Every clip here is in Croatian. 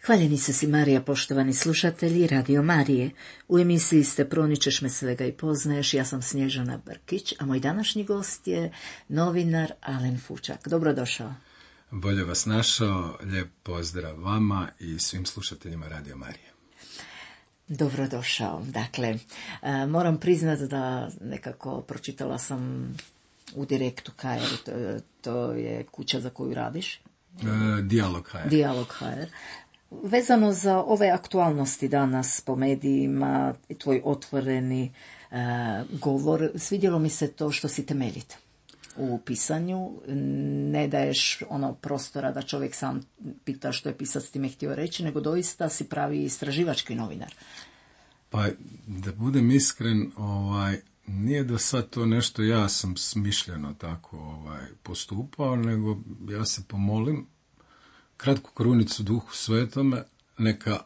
Hvaljeni su si Marija, poštovani slušatelji Radio Marije. U emisiji ste Proničeš me svega i poznaješ, ja sam Snježana Brkić, a moj današnji gost je novinar Alen Fučak. Dobrodošao. Bolje vas našao, lijep pozdrav vama i svim slušateljima Radio Marije. Dobrodošao. Dakle, moram priznati da nekako pročitala sam u Direktu HR, to je kuća za koju radiš. Dijalog HR. Dijalog HR. Vezano za ove aktualnosti danas po medijima, tvoj otvoreni govor, svidjelo mi se to što si temeljit u pisanju, ne daješ prostora da čovjek sam pita što je pisac time htio reći, nego doista si pravi istraživački novinar. Pa da budem iskren, nije do sad to nešto ja sam smišljeno tako postupao, nego ja se pomolim kratku krunicu Duhu Svetome, neka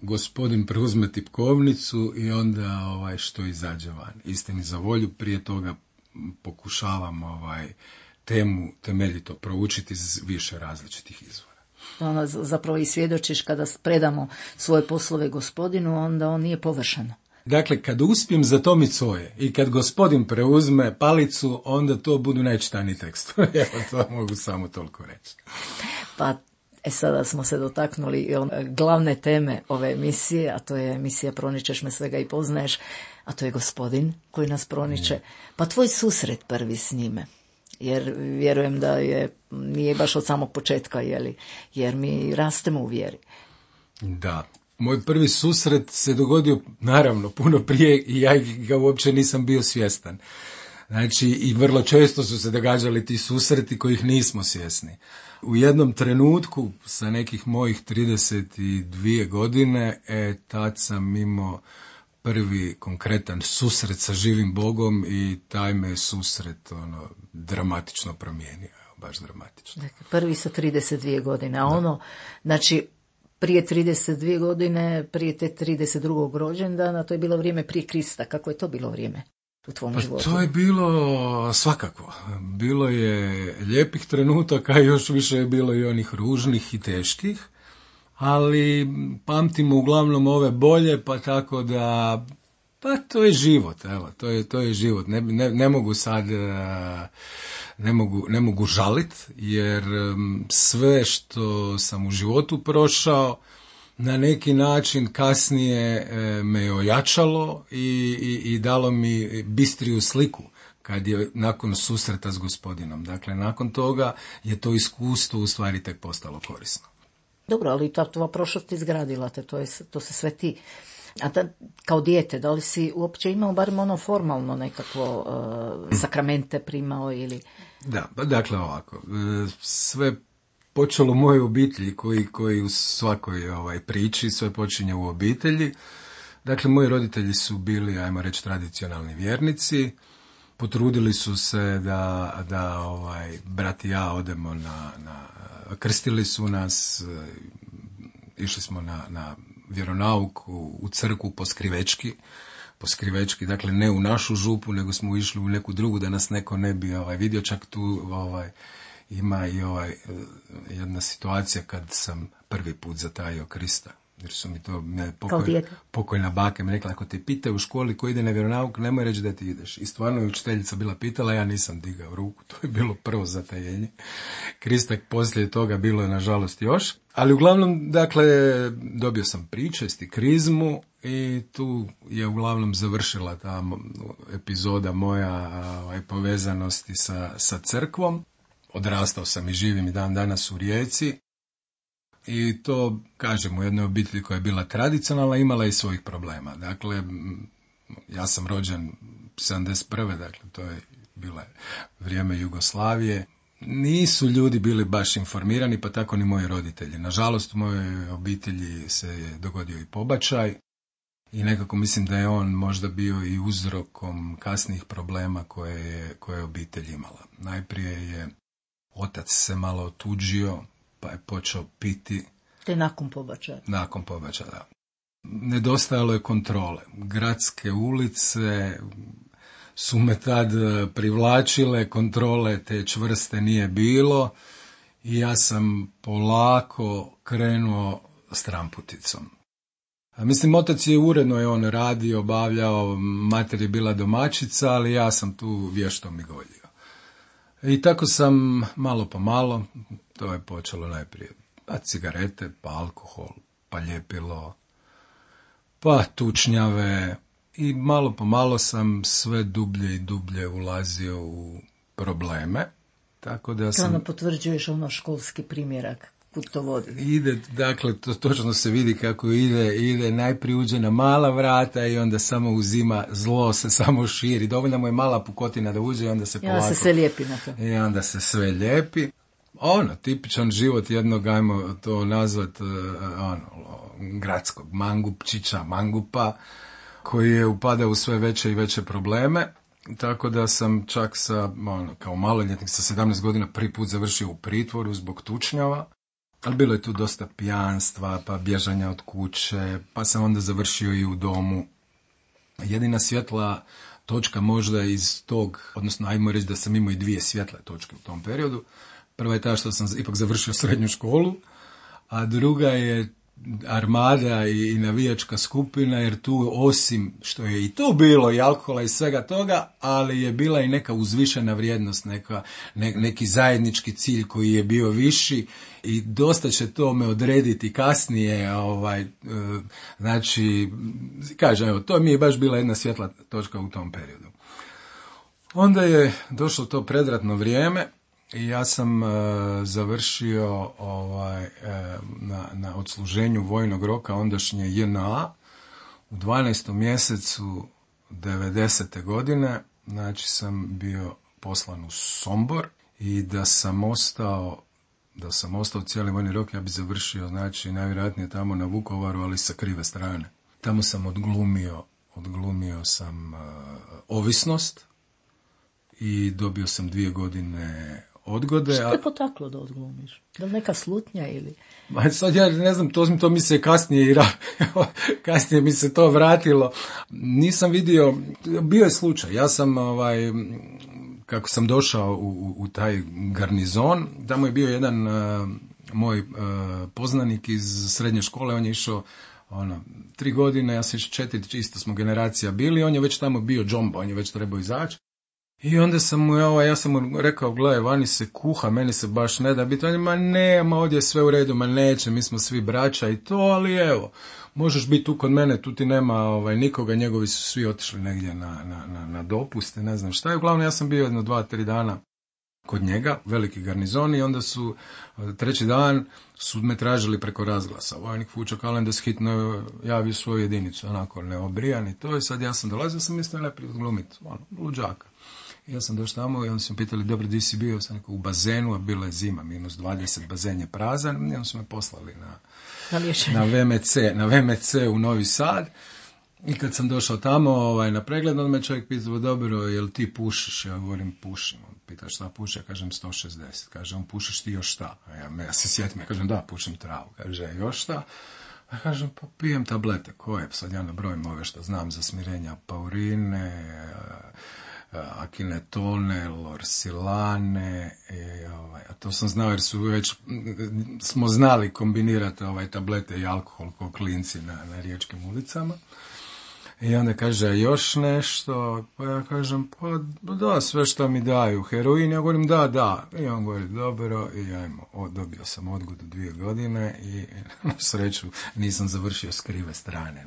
Gospodin preuzme tipkovnicu i onda što izađe van. Istini za volju, prije toga pokušavam temu temeljito proučiti iz više različitih izvora. Zapravo i svjedočiš kada predamo svoje poslove Gospodinu, onda on nije površan. Dakle, kad uspijem zatomiti svoje i kad Gospodin preuzme palicu, onda to budu najčitaniji tekstovi. Evo, to mogu samo toliko reći. Pa, sada smo se dotaknuli glavne teme ove emisije, a to je emisija Proničeš me svega i poznaješ, a to je Gospodin koji nas proniče. Pa tvoj susret prvi s njime, jer vjerujem da nije baš od samog početka, jer mi rastemo u vjeri. Da. Moj prvi susret se dogodio, naravno, puno prije i ja ga uopće nisam bio svjestan. Znači, i vrlo često su se događali ti susreti kojih nismo svjesni. U jednom trenutku, sa nekih mojih 32 godine, tad sam imao prvi konkretan susret sa živim Bogom i taj me susret dramatično promijenio, baš dramatično. Dakle, prvi sa 32 godine, a znači, prije 32 godine, prije te 32. rođendana, to je bilo vrijeme prije Krista. Kako je to bilo vrijeme u tvom životu? To je bilo svakako. Bilo je lijepih trenutaka, još više je bilo i onih ružnih i teških, ali pamtimo uglavnom ove bolje, pa tako da, pa to je život, evo, to je život. Ne mogu sad, ne mogu žalit, jer sve što sam u životu prošao, na neki način kasnije me je ojačalo i dalo mi bistriju sliku kad je nakon susreta s Gospodinom. Dakle, nakon toga je to iskustvo u stvari tek postalo korisno. Dobro, ali ta tvoja prošlost izgradila te, to se sve ti. A kao dijete, da li si uopće imao barem formalno nekakvo sakramente primao ili? Da, dakle ovako, sve počelo u mojoj obitelji koji u svakoj priči, sve počinje u obitelji. Dakle, moji roditelji su bili, ajmo reći, tradicionalni vjernici. Potrudili su se da brat i ja odemo krstili su nas, išli smo na vjeronauk u crkvu po skrivečki, dakle ne u našu župu, nego smo išli u neku drugu da nas neko ne bi vidio. Čak tu ima i jedna situacija kad sam prvi put zatajio Krista. Jer su mi to pokojna baka mi rekla, ako te pitaju u školi ko ide na vjeronauk, nemoj reći da ti ideš. I stvarno je učiteljica bila pitala, ja nisam digao ruku. To je bilo prvo zatajenje. Krista poslije toga bilo je nažalost još. Ali uglavnom, dakle, dobio sam pričest i krizmu i tu je uglavnom završila ta epizoda moja povezanosti sa crkvom. Odrastao sam i živim i dan danas u Rijeci. I to, kažem, u jednoj obitelji koja je bila tradicionalna, imala i svojih problema. Dakle, ja sam rođen 71. Dakle, to je bilo vrijeme Jugoslavije. nisu ljudi bili baš informirani, pa tako ni moji roditelji. Nažalost, u mojoj obitelji se je dogodio i pobačaj i nekako mislim da je on možda bio i uzrokom kasnijih problema koje je obitelj imala. Najprije je otac se malo otuđio, pa je počeo piti. Te nakon pobačaja? Nakon pobačaja, da. Nedostajalo je kontrole. Gradske ulice su me tad privlačile, kontrole te čvrste nije bilo i ja sam polako krenuo stramputicom. Mislim, otac je uredno je on radio, obavljao, mater je bila domaćica, ali ja sam tu vješto migoljio. I tako sam malo po malo, to je počelo najprije, pa cigarete, pa alkohol, pa ljepilo, pa tučnjave i malo po malo sam sve dublje i dublje ulazio u probleme. Tako da sam... Ono potvrđuješ ono školski primjerak, kud to vodi. Ide, dakle, to točno se vidi kako ide, najprije uđe na mala vrata i onda samo uzima, zlo se samo širi. Dovoljno mu je mala pukotina da uđe i onda se polako... I onda se sve lijepi na to. I onda se sve lijepi. Tipičan život jednog, ajmo to nazvat, gradskog mangupčića, mangupa, koji je upadao u sve veće i veće probleme. Tako da sam čak kao maloljetnik sa 17 godina prvi put završio u pritvoru zbog tučnjava. Ali bilo je tu dosta pijanstva, pa bježanja od kuće, pa sam onda završio i u domu. Jedina svjetla točka možda iz tog, odnosno ajmo reći da sam imao i dvije svjetle točke u tom periodu. Prva je ta što sam ipak završio srednju školu, a druga je armada i navijačka skupina, jer tu osim što je i tu bilo i alkohola i svega toga, ali je bila i neka uzvišena vrijednost, neki zajednički cilj koji je bio viši i dosta će to me odrediti kasnije, znači, kažem, evo, to mi je baš bila jedna svjetla točka u tom periodu. Onda je došlo to predratno vrijeme i ja sam završio na odsluženju vojnog roka ondašnje JNA u 12. mjesecu 90. godine, znači sam bio poslan u Sombor i da sam ostao cijeli vojni rok, ja bi završio, znači, najvjerojatnije tamo na Vukovaru, ali sa krive strane. Tamo sam odglumio sam ovisnost i dobio sam 2 godine odgode. Što te potaklo da odglumiš? Da li neka slutnja ili... Sad ja ne znam, to mi se kasnije mi se to vratilo. Nisam vidio, bio je slučaj, ja sam kako sam došao u taj garnizon, tamo je bio jedan moj poznanik iz srednje škole, on je išao 3 godine, ja sam išao 4, isto smo generacija bili, on je već tamo bio džomba, on je već trebao izaći. I onda sam mu, ja sam mu rekao, gledaj, vani se kuha, meni se baš ne da biti, on je, ma ovdje je sve u redu, neće, mi smo svi braća i to, ali evo, možeš biti tu kod mene, tu ti nema nikoga, njegovi su svi otišli negdje na dopuste, ne znam šta, i uglavnom ja sam bio jedno 2-3 dana kod njega, veliki garnizon, i onda su 3. dan su me tražili preko razglasa. Vojnik Fučo Kalendas hitno javio svoju jedinicu, onako neobrijan i to, i sad ja sam dolazio, sam mislio najprije glumiti, luđaka. Ja sam došao tamo i onda su me pitali, dobro, di si bio? Sam rekao, u bazenu, a bila je zima, -20, bazen je prazan, i onda su me poslali na VMC u Novi Sad. I kad sam došao tamo na pregled, onda me čovjek pitao, dobro, jel ti pušiš? Ja govorim, pušim. On pita šta puši, ja kažem 160. Kaže, on pušiš ti još šta? Ja se sjetim, ja kažem, da, pušim travu. Kaže, još šta? Ja kažem, pa pijem tablete. Koje? Sad ja nabrojim ove što znam za smirenja, paurine, akinetone, lorsilane, a to sam znao jer smo znali kombinirati tablete i alkohol kao klinci na riječkim ulicama. I onda kaže, još nešto, pa ja kažem, pa da, sve što mi daju, heroin, ja govorim, da, i on govori, dobro, i dobio sam odgodu 2 godine i na sreću nisam završio s krive strane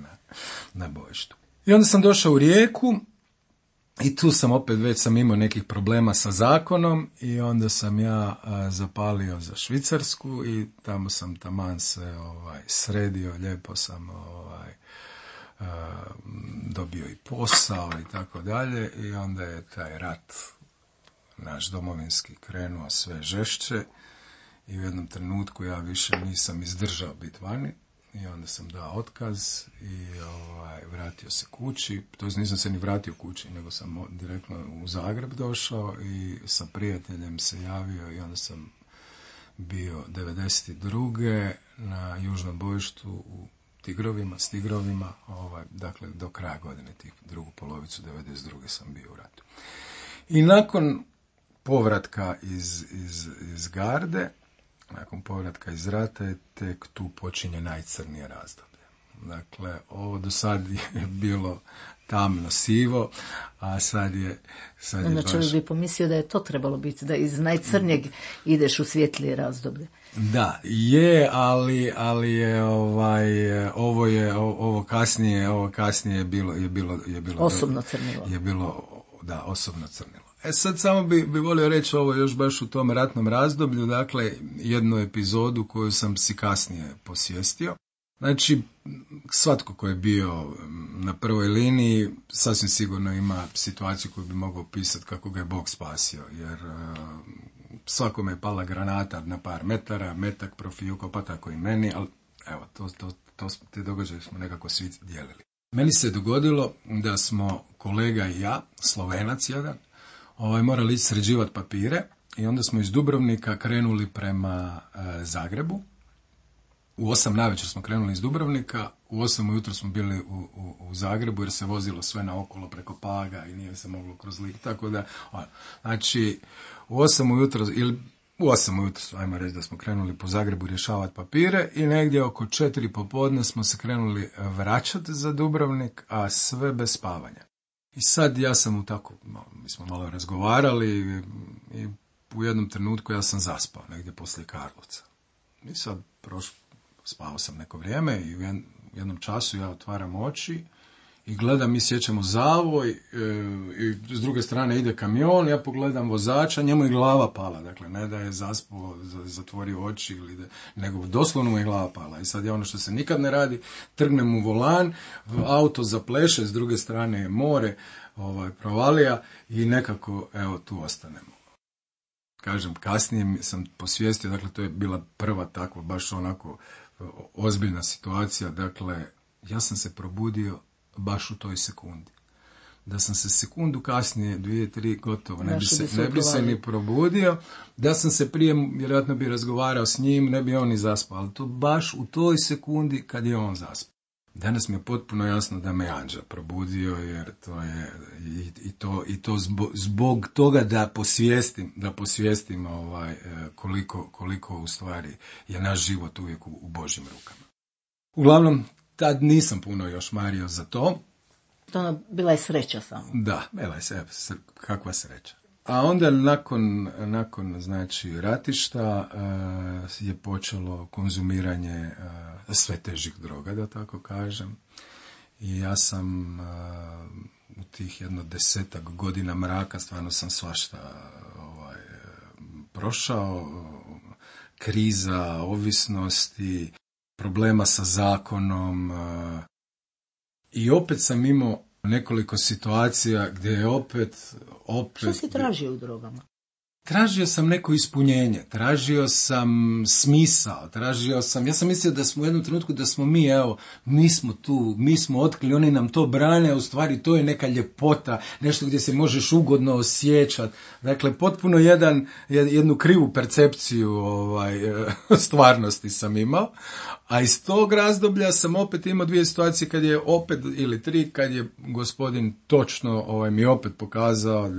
na bojištu. I onda sam došao u Rijeku, i tu sam već sam imao nekih problema sa zakonom i onda sam ja zapalio za Švicarsku i tamo sam taman se sredio, lijepo sam dobio i posao i tako dalje, i onda je taj rat naš domovinski krenuo sve žešće i u jednom trenutku ja više nisam izdržao biti vani i onda sam dao otkaz i vratio se kući. To nisam se ni vratio kući, nego sam direktno u Zagreb došao i sa prijateljem se javio i onda sam bio 92. na južnom bojištu u s Tigrovima, dakle do kraja godine, drugu polovicu 92. sam bio u ratu. I nakon povratka iz Garde, nakon povratka iz rata, je tek tu počinje najcrnije razdoblje. Dakle, ovo do sad je bilo tamno sivo, a sad je znači, baš... bi pomislio da je to trebalo biti, da iz najcrnjeg ideš u svjetlije razdoblje. Da, je, ali je ovo kasnije je bilo osobno crnilo. Je bilo, da, osobno crnilo. Sad samo bi volio reći ovo još baš u tom ratnom razdoblju, dakle, jednu epizodu koju sam si kasnije posvijestio. Znači, svatko ko je bio na prvoj liniji sasvim sigurno ima situaciju koju bi mogao opisati kako ga je Bog spasio, jer svakome je pala granata na par metara, metak profijuko, pa tako i meni, ali evo, te događaje smo nekako svi dijelili. Meni se dogodilo da smo kolega i ja, Slovenac jedan, morali ići sređivati papire i onda smo iz Dubrovnika krenuli prema Zagrebu. U 8 navečer smo krenuli iz Dubrovnika, u 8 ujutro smo bili u Zagrebu jer se vozilo sve naokolo preko Paga i nije se moglo kroz Lik, tako da, znači, u 8 ujutro, ajmo reći da smo krenuli po Zagrebu rješavati papire i negdje oko 4 popodne smo se krenuli vraćati za Dubrovnik, a sve bez spavanja. I sad ja sam mi smo malo razgovarali i u jednom trenutku ja sam zaspao negdje poslije Karlovca. I sad spavao sam neko vrijeme i u jednom času ja otvaram oči i gledam, mi sjećamo zavoj i s druge strane ide kamion, ja pogledam vozača, njemu je glava pala, dakle ne da je zaspao, zatvorio oči, nego doslovno mu je glava pala. I sad je ono što se nikad ne radi, trgnem u volan, auto zapleše, s druge strane je more, provalija i nekako, evo, tu ostanemo. Kažem, kasnije sam posvijestio, dakle to je bila prva takva, baš onako ozbiljna situacija, dakle ja sam se probudio baš u toj sekundi. Da sam se sekundu kasnije, 2-3 gotovo, ne bi se ni probudio, da sam se prije, vjerojatno bi razgovarao s njim, ne bi on ni zaspao, ali to baš u toj sekundi kad je on zaspao. Danas mi je potpuno jasno da me anđel probudio, jer to je i to zbog toga da posvijestim koliko u stvari je naš život uvijek u Božjim rukama. Uglavnom, tad nisam puno još mario za to. To bila je sreća samo. Da, bila je kakva sreća. A onda nakon znači ratišta je počelo konzumiranje sve težih droga, da tako kažem. I ja sam u tih 10 godina mraka stvarno sam svašta prošao. Kriza, ovisnosti, problema sa zakonom. I opet sam imao nekoliko situacija gdje je opet... Što si tražio u drogama? Tražio sam neko ispunjenje, tražio sam smisao, ja sam mislio da smo u jednom trenutku da smo mi smo tu, mi smo otkrili, oni nam to brane, a u stvari to je neka ljepota, nešto gdje se možeš ugodno osjećati. Dakle, potpuno jednu krivu percepciju stvarnosti sam imao, a iz tog razdoblja sam opet imao 2 situacije kad je opet, ili 3, kad je gospodin točno mi opet pokazao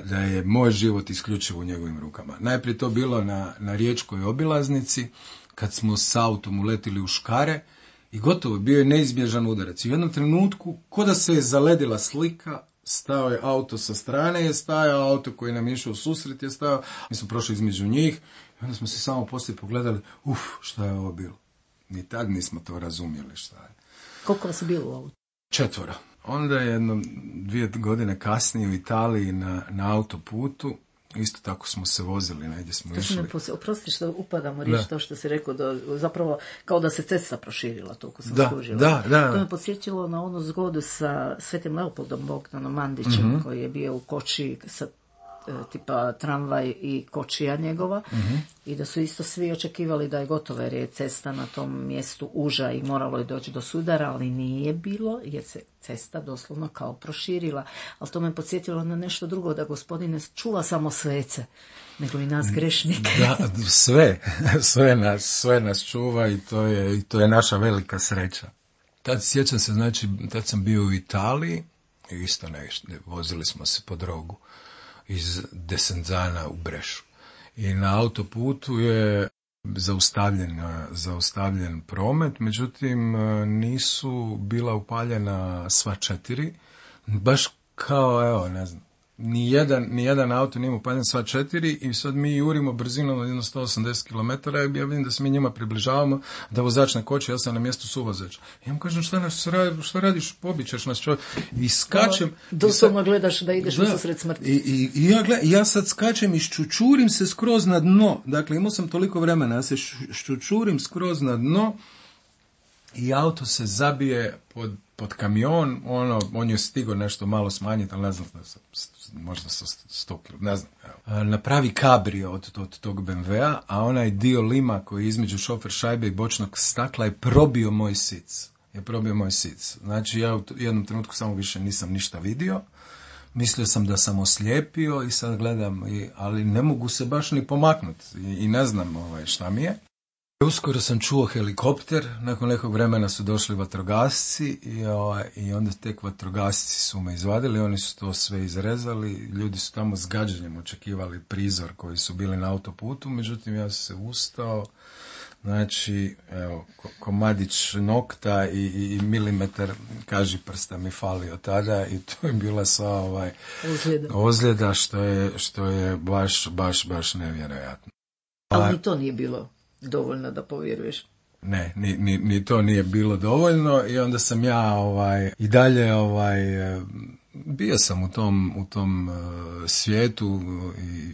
da je moj život isključivo u njegovim rukama. Najprije to bilo na riječkoj obilaznici, kad smo s autom uletili u škare i gotovo, bio je neizbježan udarac. I u jednom trenutku, ko da se je zaledila slika, stao je auto sa strane, je stajao auto koji nam je išao u susret, je stajao, mi smo prošli između njih i onda smo se samo poslije pogledali, šta je ovo bilo? Ni tad nismo to razumjeli šta je. Koliko vas je bilo u autu? 4. Onda je 2 godine kasnije u Italiji na autoputu, isto tako smo se vozili, negdje smo išli. Oprosti što upadamo riječ to što si rekao, zapravo kao da se cesta proširila, toliko sam skužila. Da. To me podsjećalo na onu zgodu sa Svetim Leopoldom Bogdanom Mandićem, koji je bio u koči sa tipa tramvaj i kočija njegova, i da su isto svi očekivali da je gotovo jer je cesta na tom mjestu uža i moralo je doći do sudara, ali nije bilo jer se cesta doslovno kao proširila. Ali to me podsjetilo na nešto drugo, da Gospodin ne čuva samo svece, nego i nas grešnike. Da, sve nas čuva i to je naša velika sreća. Tad sjećam se, znači, tad sam bio u Italiji i isto vozili smo se po drogu iz Desenzana u Brešu. I na autoputu je zaustavljen promet, međutim nisu bila upaljena sva 4, baš kao, evo, ne znam, nijedan auto nije upaljen sva 4 i sad mi jurimo brzinom od 180 km i ja vidim da se mi njima približavamo, da vozač ne koči, ja sam na mjestu suvozača. Ja mu kažem, šta radiš, pobićeš nas čovjek. I skačem. Doslovno gledaš da ideš u susret smrti. I ja sad skačem i ščučurim se skroz na dno. Dakle, imao sam toliko vremena, ja se ščučurim skroz na dno i auto se zabije pod kamion, on je stigao nešto malo smanjiti, ali ne znam, možda sa 100 kg, ne znam. Evo. Napravi kabrio od tog BMW-a, a onaj dio lima koji je između šofer šajbe i bočnog stakla je probio moj sic. Znači, ja u jednom trenutku samo više nisam ništa vidio. Mislio sam da sam oslijepio i sad gledam, ali ne mogu se baš ni pomaknuti i ne znam šta mi je. Uskoro sam čuo helikopter, nakon nekog vremena su došli vatrogasci i onda tek vatrogasci su me izvadili, oni su to sve izrezali, ljudi su tamo s gađanjem očekivali prizor koji su bili na autoputu, međutim ja sam se ustao, znači, evo, komadić nokta i milimetar kažiprsta mi falio tada i to je bila sva ozljeda što je baš nevjerojatno. Ali ni to nije bilo dovoljno da povjeruješ. Ne, ni to nije bilo dovoljno i onda sam ja i dalje bio sam u tom svijetu i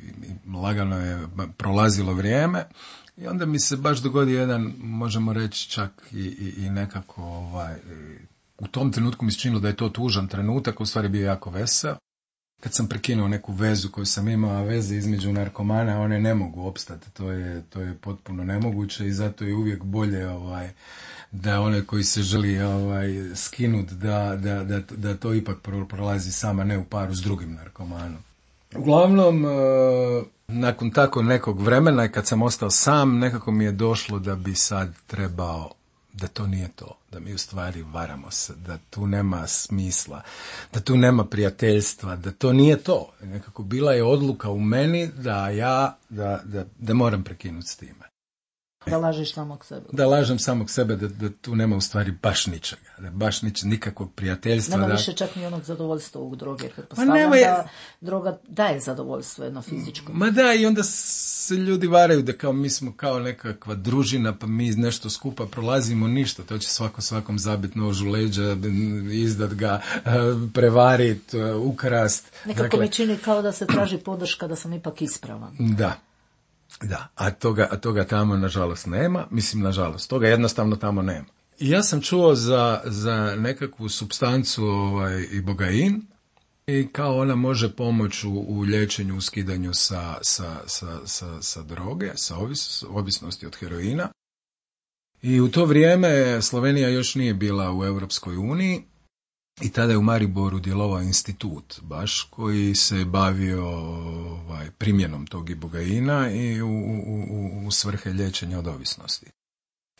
lagano je prolazilo vrijeme i onda mi se baš dogodio jedan, možemo reći čak i nekako u tom trenutku mi se činilo da je to tužan trenutak, u stvari bio jako veseo. Kad sam prekinuo neku vezu koju sam imao, a veze između narkomana, one ne mogu opstati, to je potpuno nemoguće i zato je uvijek bolje da onaj koji se želi skinuti, da to ipak prolazi sama, ne u paru s drugim narkomanom. Uglavnom, nakon tako nekog vremena, kad sam ostao sam, nekako mi je došlo da bi sad trebao, da to nije to, da mi u stvari varamo se, da tu nema smisla, da tu nema prijateljstva, da to nije to. Nekako bila je odluka u meni da moram prekinuti s time. Da lažeš samog sebe. Da lažem samog sebe, da tu nema u stvari baš ničega, da baš nikakvog prijateljstva. Nema više čak ni onog zadovoljstva u droge, jer pretpostavljam da droga daje zadovoljstvo jedno fizičko. Ma da, i onda se ljudi varaju da kao mi smo kao nekakva družina, pa mi nešto skupa prolazimo, ništa, to će svakom zabiti nož u leđa, izdat ga, prevarit, ukrast. Nekako mi čini kao da se traži podrška da sam ipak ispravan. Da, a toga tamo nažalost nema, nažalost, toga jednostavno tamo nema. I ja sam čuo za nekakvu supstancu ibogain i kao ona može pomoći u liječenju, u skidanju sa droge, sa ovisnosti od heroina. I u to vrijeme Slovenija još nije bila u Europskoj uniji i tada je u Mariboru djelovao institut baš koji se bavio primjenom tog ibogaina i u svrhe liječenja od ovisnosti.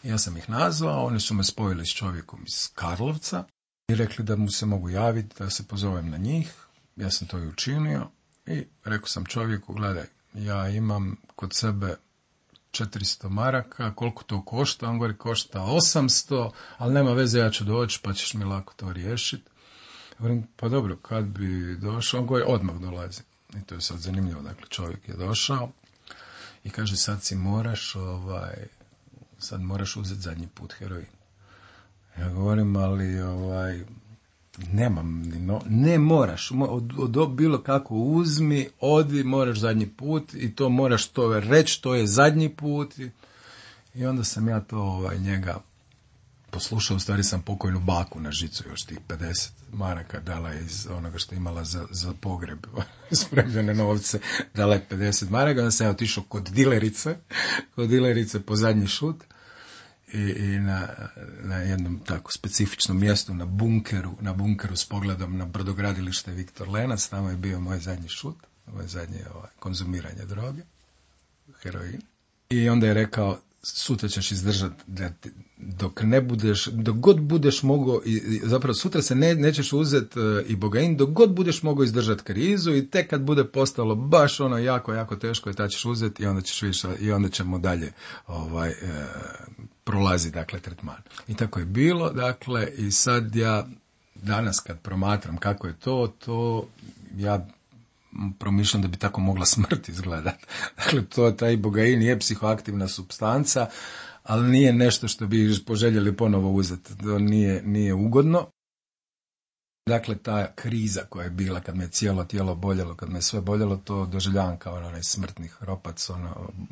Ja sam ih nazvao, oni su me spojili s čovjekom iz Karlovca i rekli da mu se mogu javiti, da se pozovem na njih. Ja sam to i učinio i rekao sam čovjeku, gledaj, ja imam kod sebe 400 maraka, koliko to košta? On govori, košta 800, ali nema veze, ja ću doći, pa ćeš mi lako to riješiti. Govorim, pa dobro, kad bi došao? On govori, odmah dolazi. I to je sad zanimljivo, dakle, čovjek je došao i kaže, sad moraš uzeti zadnji put heroin. Ja govorim, ali nemam, ne moraš, od bilo kako uzmi, odi, moraš zadnji put i to moraš to reći, to je zadnji put. I onda sam ja to njega poslušao, u stvari sam pokojnu baku na žicu, još tih 50 maraka dala je iz onoga što imala za pogreb, spremljene novce, dala je 50 maraka, onda sam ja otišao kod dilerice po zadnji šut i na jednom tako specifičnom mjestu, na bunkeru s pogledom na brodogradilište Viktor Lenac, tamo je bio moj zadnji šut, moje zadnje konzumiranje droge, heroin. I onda je rekao, sutra ćeš izdržati dok god budeš mogao, zapravo sutra se nećeš uzeti ibogain, dok god budeš mogao izdržati krizu i tek kad bude postalo baš ono jako, jako teško, ta ćeš uzeti i onda ćemo dalje prolazi, dakle, tretman. I tako je bilo, dakle, i sad ja danas kad promatram kako je to ja promišljam da bi tako mogla smrt izgledati. Dakle, taj ibogain je psihoaktivna supstanca, ali nije nešto što bi poželjeli ponovo uzeti. To nije ugodno. Dakle, ta kriza koja je bila kad me cijelo tijelo boljelo, kad me sve boljelo, to doživljavam kao onaj smrtni hropac,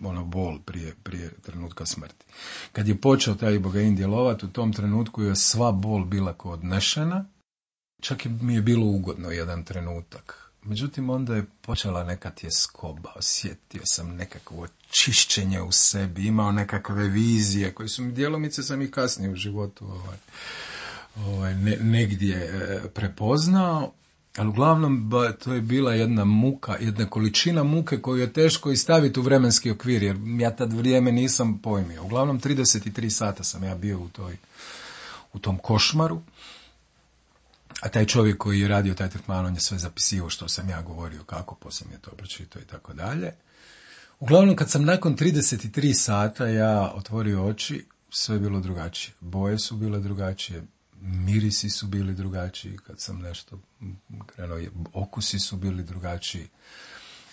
ono bol prije trenutka smrti. Kad je počeo taj ibogain djelovati, u tom trenutku je sva bol bila kao odnešena, čak mi je bilo ugodno jedan trenutak. Međutim, onda je počela neka tjeskoba, osjetio sam nekakvo čišćenje u sebi, imao nekakve vizije koje su mi djelomice sam i kasnije u životu negdje prepoznao, ali uglavnom to je bila jedna muka, jedna količina muke koju je teško i staviti u vremenski okvir, jer ja tad vrijeme nisam pojmio. Uglavnom 33 sata sam ja bio u tom košmaru. A taj čovjek koji je radio taj tretman, on je sve zapisivao što sam ja govorio, kako, poslije mi je to pročitao i tako dalje. Uglavnom, kad sam nakon 33 sata ja otvorio oči, sve je bilo drugačije. Boje su bile drugačije, mirisi su bili drugačiji, kad sam nešto krenuo, okusi su bili drugačiji.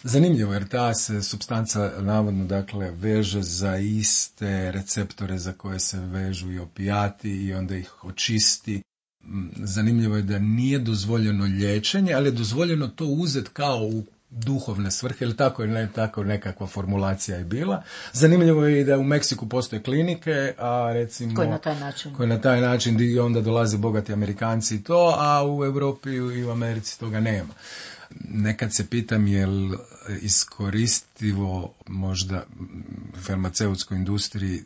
Zanimljivo, jer ta se supstanca navodno, dakle, veže za iste receptore za koje se vežu i opijati i onda ih očisti. Zanimljivo je da nije dozvoljeno liječenje, ali je dozvoljeno to uzeti kao u duhovne svrhe, ili tako nekakva formulacija je bila. Zanimljivo je i da u Meksiku postoje klinike, a recimo koje na taj način gdje onda dolaze bogati Amerikanci i to, a u Europi i u Americi toga nema. Nekad se pitam je li iskoristivo možda farmaceutskoj industriji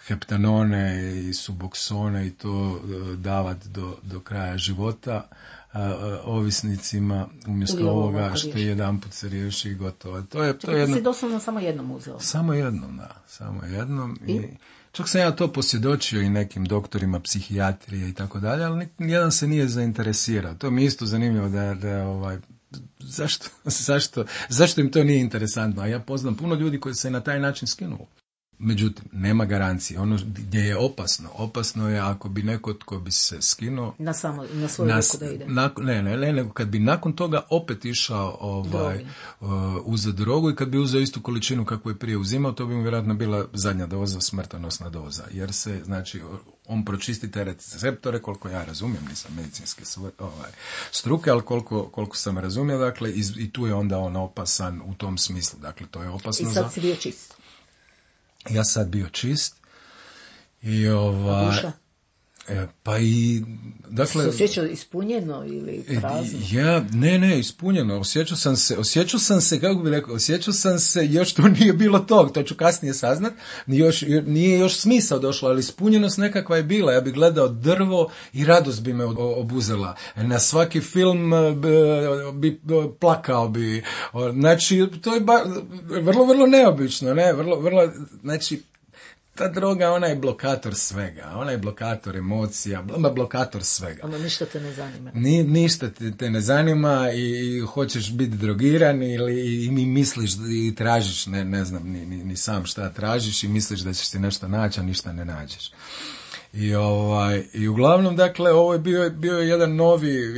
heptanone i suboksone i to davati do kraja života ovisnicima umjesto ovoga što jedanput se riješi i gotovo. To je si doslovno samo jednom uzeo? Samo jednom. I čak sam ja to posvjedočio i nekim doktorima psihijatrije i tako dalje, ali nijedan se nije zainteresirao. To mi je isto zanimljivo da zašto im to nije interesantno, a ja poznam puno ljudi koji se na taj način skinuo. Međutim, nema garancije. Ono gdje je opasno je ako bi neko tko bi se skinuo na svoju ruku da ide. Ne, nego kad bi nakon toga opet išao uzeti drogu i kad bi uzeo istu količinu kakvu je prije uzimao, to bi mu vjerojatno bila zadnja doza, smrtonosna doza. Jer se, znači, on pročisti te receptore, koliko ja razumijem, nisam medicinske struke, ali koliko sam razumio, dakle, i tu je onda on opasan u tom smislu. Dakle, to je opasno. I sad si bio čist. Ja sad bio čist i pa i dakle se osjećao ispunjeno ili prazno? Ne, ispunjeno. Osjećao sam se, kako bih rekao, još to nije bilo to ću kasnije saznat, nije još smisao došlo, ali ispunjenost nekakva je bila. Ja bih gledao drvo i radost bi me obuzela. Na svaki film bi plakao bi. Znači, to je vrlo, vrlo neobično, ne? Vrlo, znači, ta droga, ona je blokator svega, ona je blokator emocija, blokator svega. Ono ništa te ne zanima. Ništa te ne zanima i hoćeš biti drogiran ili mi misliš i tražiš, ne znam ni sam šta tražiš i misliš da ćeš ti nešto naći, a ništa ne nađeš. I uglavnom, dakle, ovo je bio jedan novi,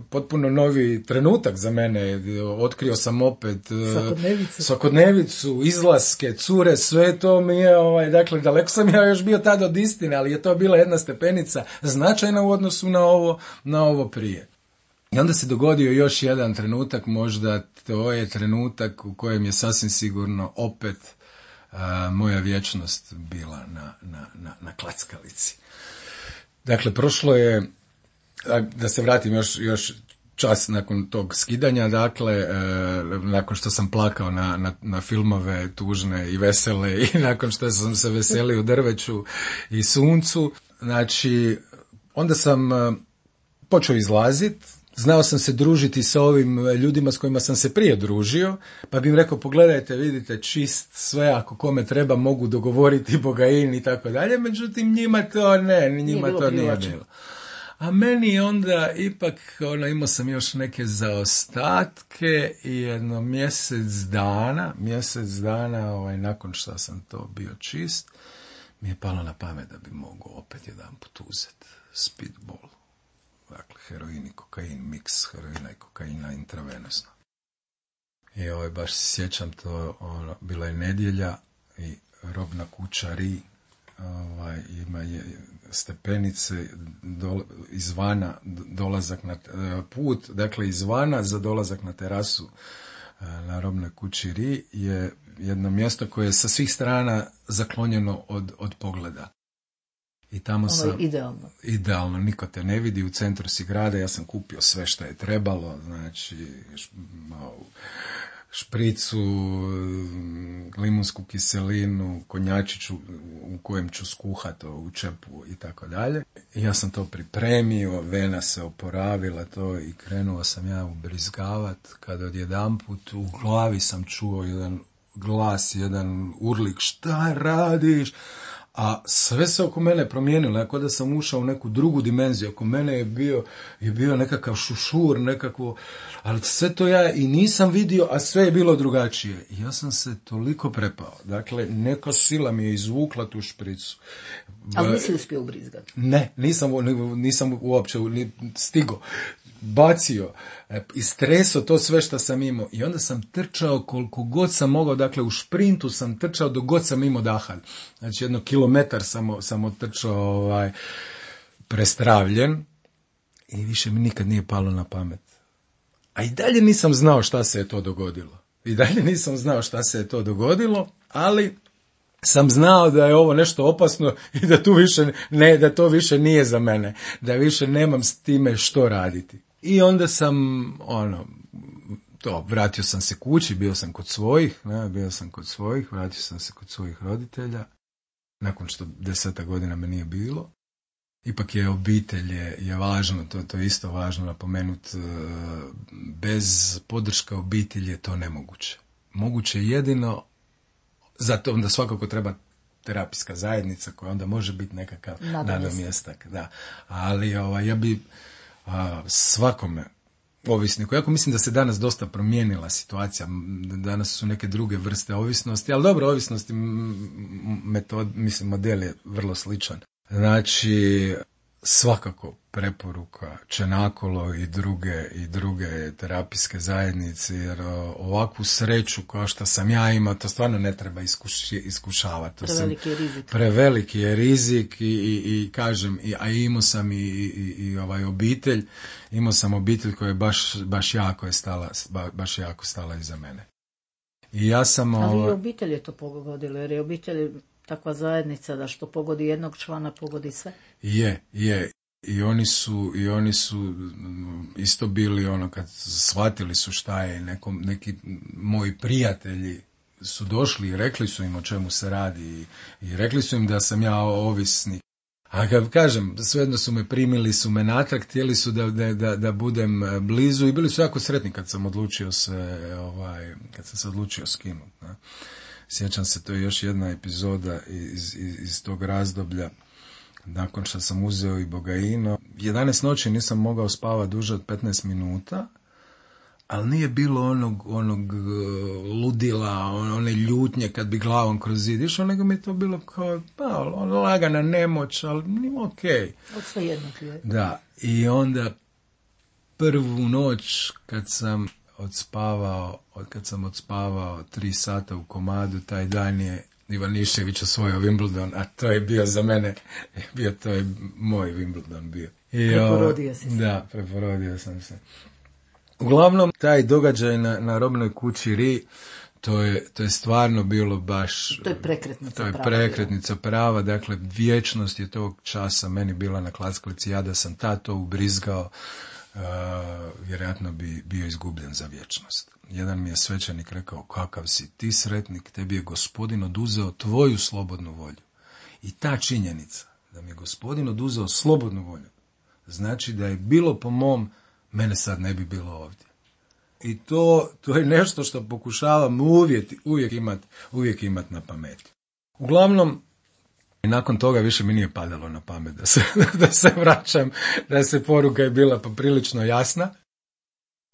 potpuno novi trenutak za mene. Otkrio sam opet svakodnevicu, izlaske, cure, sve to mi je, dakle, daleko sam ja još bio tada od istine, ali je to bila jedna stepenica značajna u odnosu na ovo prije. I onda se dogodio još jedan trenutak, možda to je trenutak u kojem je sasvim sigurno opet moja vječnost bila na klackalici. Dakle, prošlo je, da se vratim još čas nakon tog skidanja, dakle, nakon što sam plakao na filmove tužne i vesele i nakon što sam se veselio drveću i suncu, znači, onda sam počeo izlaziti, znao sam se družiti sa ovim ljudima s kojima sam se prije družio, pa bih im rekao, pogledajte, vidite, čist sve, ako kome treba mogu dogovoriti bogain i tako dalje, međutim njima to nije bilo. A meni onda ipak, imao sam još neke zaostatke i jedno mjesec dana, nakon što sam to bio čist, mi je palo na pamet da bi mogao opet jedan put uzeti speedball. Dakle, heroin i kokain, miks heroina i kokaina intravenozno. I baš se sjećam to, bila je nedjelja i robna kuća Ri, ima je stepenice izvana dolazak na put, dakle izvana za dolazak na terasu na robnoj kući Ri je jedno mjesto koje je sa svih strana zaklonjeno od pogleda. I tamo sam, idealno, niko te ne vidi, u centru si grada, ja sam kupio sve što je trebalo, znači špricu, limunsku kiselinu, konjačiću u kojem ću skuhati u čepu i tako dalje. I ja sam to pripremio, vena se oporavila to i krenuo sam ja ubrizgavat, kada odjedanput u glavi sam čuo jedan glas, jedan urlik, šta radiš? A sve se oko mene promijenilo, ako da sam ušao u neku drugu dimenziju, oko mene je bio nekakav šušur, nekakvo, ali sve to ja i nisam vidio, a sve je bilo drugačije. I ja sam se toliko prepao, dakle, neka sila mi je izvukla tu špricu. Ali nisi uspio ubrizgati? Ne, nisam uopće stigo. Bacio, istresao to sve što sam imao i onda sam trčao koliko god sam mogao, dakle u šprintu sam trčao dok god sam imao daha. Znači 1 kilometar sam otrčao prestravljen i više mi nikad nije palo na pamet. A i dalje nisam znao šta se je to dogodilo. Ali sam znao da je ovo nešto opasno i da to više nije za mene, da više nemam s time što raditi. I onda sam, vratio sam se kući, bio sam kod svojih, vratio sam se kod svojih roditelja, nakon što 10 godina me nije bilo. Ipak je obitelj je važno, to je isto važno napomenuti, bez podrške obitelji je to nemoguće. Moguće jedino, zato onda svakako treba terapijska zajednica koja onda može biti nekakav nadomjestak. Da. Ali ja bi svakome ovisniku, jako mislim da se danas dosta promijenila situacija, danas su neke druge vrste ovisnosti, ali dobro, ovisnosti model je vrlo sličan. Znači, svakako preporuka Čenakolo i druge terapijske zajednice, jer ovakvu sreću kao što sam ja imao, to stvarno ne treba iskušavati. Preveliki je rizik i kažem, a imao sam i obitelj, imao sam obitelj koja je baš jako stala iza mene. I ja sam... Ali i obitelj je to pogodilo, jer je obitelj takva zajednica da što pogodi jednog člana, pogodi sve. Je. I oni su isto bili kad shvatili su šta je, neki moji prijatelji su došli i rekli su im o čemu se radi i rekli su im da sam ja ovisnik. A kad kažem, svejedno su me primili, su me natrag, htjeli su da budem blizu i bili su jako sretni kad sam se odlučio skinuti. Sjećam se, to je još jedna epizoda iz tog razdoblja. Nakon što sam uzeo i bogaino, 11 noći nisam mogao spavati duže od 15 minuta, ali nije bilo onog ludila, one ljutnje kad bi glavom kroz zid išao, nego mi je to bilo kao lagana nemoć, ali nije okej. Od sve jednog je. Da, i onda prvu noć kad sam odspavao 3 sata u komadu, taj dan je Ivanišević osvojio Wimbledon, a to je bio za mene, to je moj Wimbledon bio. Preporodio si se. Da, preporodio sam se. Uglavnom, taj događaj na robnoj kući Ri, To je stvarno bilo baš... To je prekretnica prava. To je prekretnica prava, dakle vječnost je tog časa meni bila na klackalici, ja da sam to ubrizgao, vjerojatno bi bio izgubljen za vječnost. Jedan mi je svećenik rekao, kakav si ti sretnik, tebi je Gospodin oduzeo tvoju slobodnu volju. I ta činjenica da mi je Gospodin oduzeo slobodnu volju, znači da je bilo po mom, mene sad ne bi bilo ovdje. I to je nešto što pokušavam uvijek imat na pameti. Uglavnom, nakon toga više mi nije padalo na pamet da se vraćam, da se poruka je bila poprilično jasna.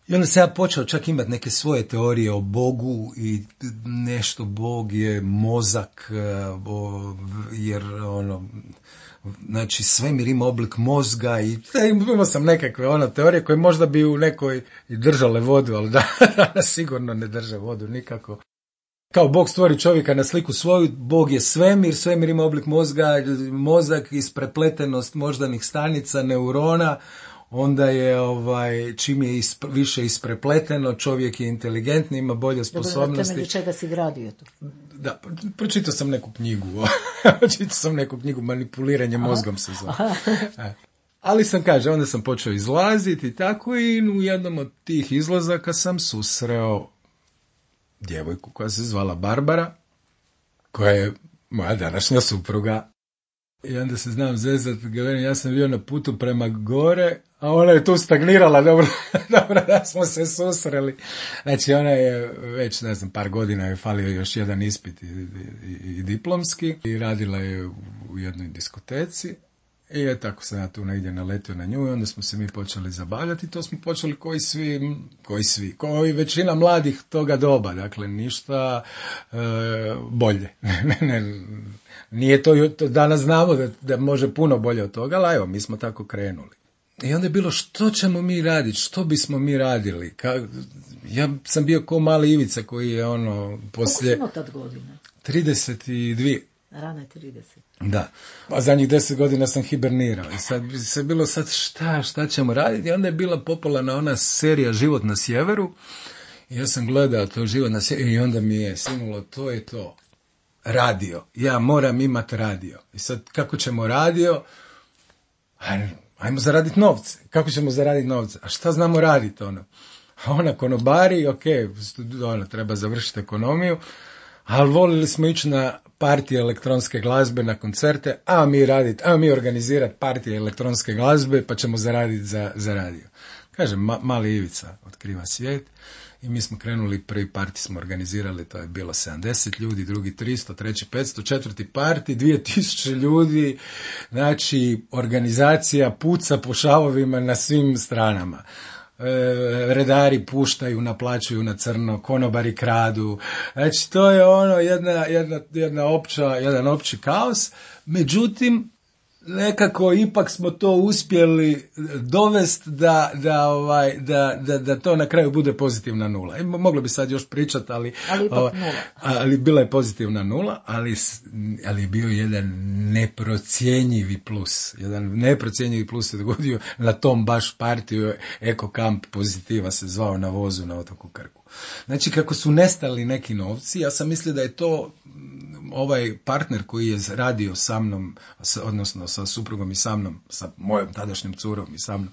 I onda sam ja počeo čak imati neke svoje teorije o Bogu i nešto Bog je mozak, jer znači svemir ima oblik mozga i imao sam nekakve teorije koje možda bi u nekoj i držale vodu, ali danas sigurno ne drže vodu nikako. Kao Bog stvori čovjeka na sliku svoju, Bog je svemir ima oblik mozga, mozak isprepletenost moždanih stanica, neurona, onda je čim je više isprepleteno, čovjek je inteligentni, ima bolje sposobnosti. Dobro, na temelju čega si gradio to? Da, pročitao sam neku knjigu, manipuliranje mozgom se zove. Ali onda sam počeo izlaziti i tako, i u jednom od tih izlazaka sam susreo djevojku koja se zvala Barbara, koja je moja današnja supruga. I onda se znam zezati, ja sam bio na putu prema gore, a ona je tu stagnirala, dobro da smo se susreli. Znači ona je već, par godina je falio još jedan ispit i diplomski i radila je u jednoj diskoteci. I tako sam ja tu negdje naletio na nju i onda smo se mi počeli zabavljati. To smo počeli koji većina mladih toga doba, dakle ništa bolje. Nije to danas znamo da može puno bolje od toga, ali evo, mi smo tako krenuli. I onda je bilo, što ćemo mi raditi, što bismo mi radili? Ja sam bio ko mali Ivica koji je poslije... Koliko si tad godina? 32. Rane 30. Da, a zadnjih 10 godina sam hibernirao i sad se bilo šta ćemo raditi, i onda je bila popularna ona serija Život na sjeveru i ja sam gledao to Život na sjeveru i onda mi je sinulo, to je to, radio, ja moram imati radio. I sad kako ćemo radio? Ajmo zaraditi novce. Kako ćemo zaraditi novce? A šta znamo raditi A konobari, treba završiti ekonomiju, ali volili smo ići na partije elektronske glazbe, na koncerte, a mi organizirati partije elektronske glazbe, pa ćemo zaraditi za radio. Kažem, mali Ivica otkriva svijet i mi smo krenuli, prvi parti smo organizirali, to je bilo 70 ljudi, drugi 300, treći 500, četvrti parti, 2000 ljudi, znači organizacija puca po šavovima na svim stranama. Redari puštaju, naplaćuju na crno, konobari kradu. Znači, to je jedan opći kaos. Međutim, nekako ipak smo to uspjeli dovesti da to na kraju bude pozitivna nula. Moglo bi sad još pričati, ali bila je pozitivna nula, ali je bio jedan neprocjenjivi plus. Jedan neprocjenjivi plus se dogodio na tom baš partiju, Eko Kamp Pozitiva se zvao, na vozu na otoku Krku. Znači, kako su nestali neki novci, ja sam mislio da je to ovaj partner koji je radio sa mnom, odnosno sa suprugom i sa mnom, sa mojom tadašnjom curom i sa mnom,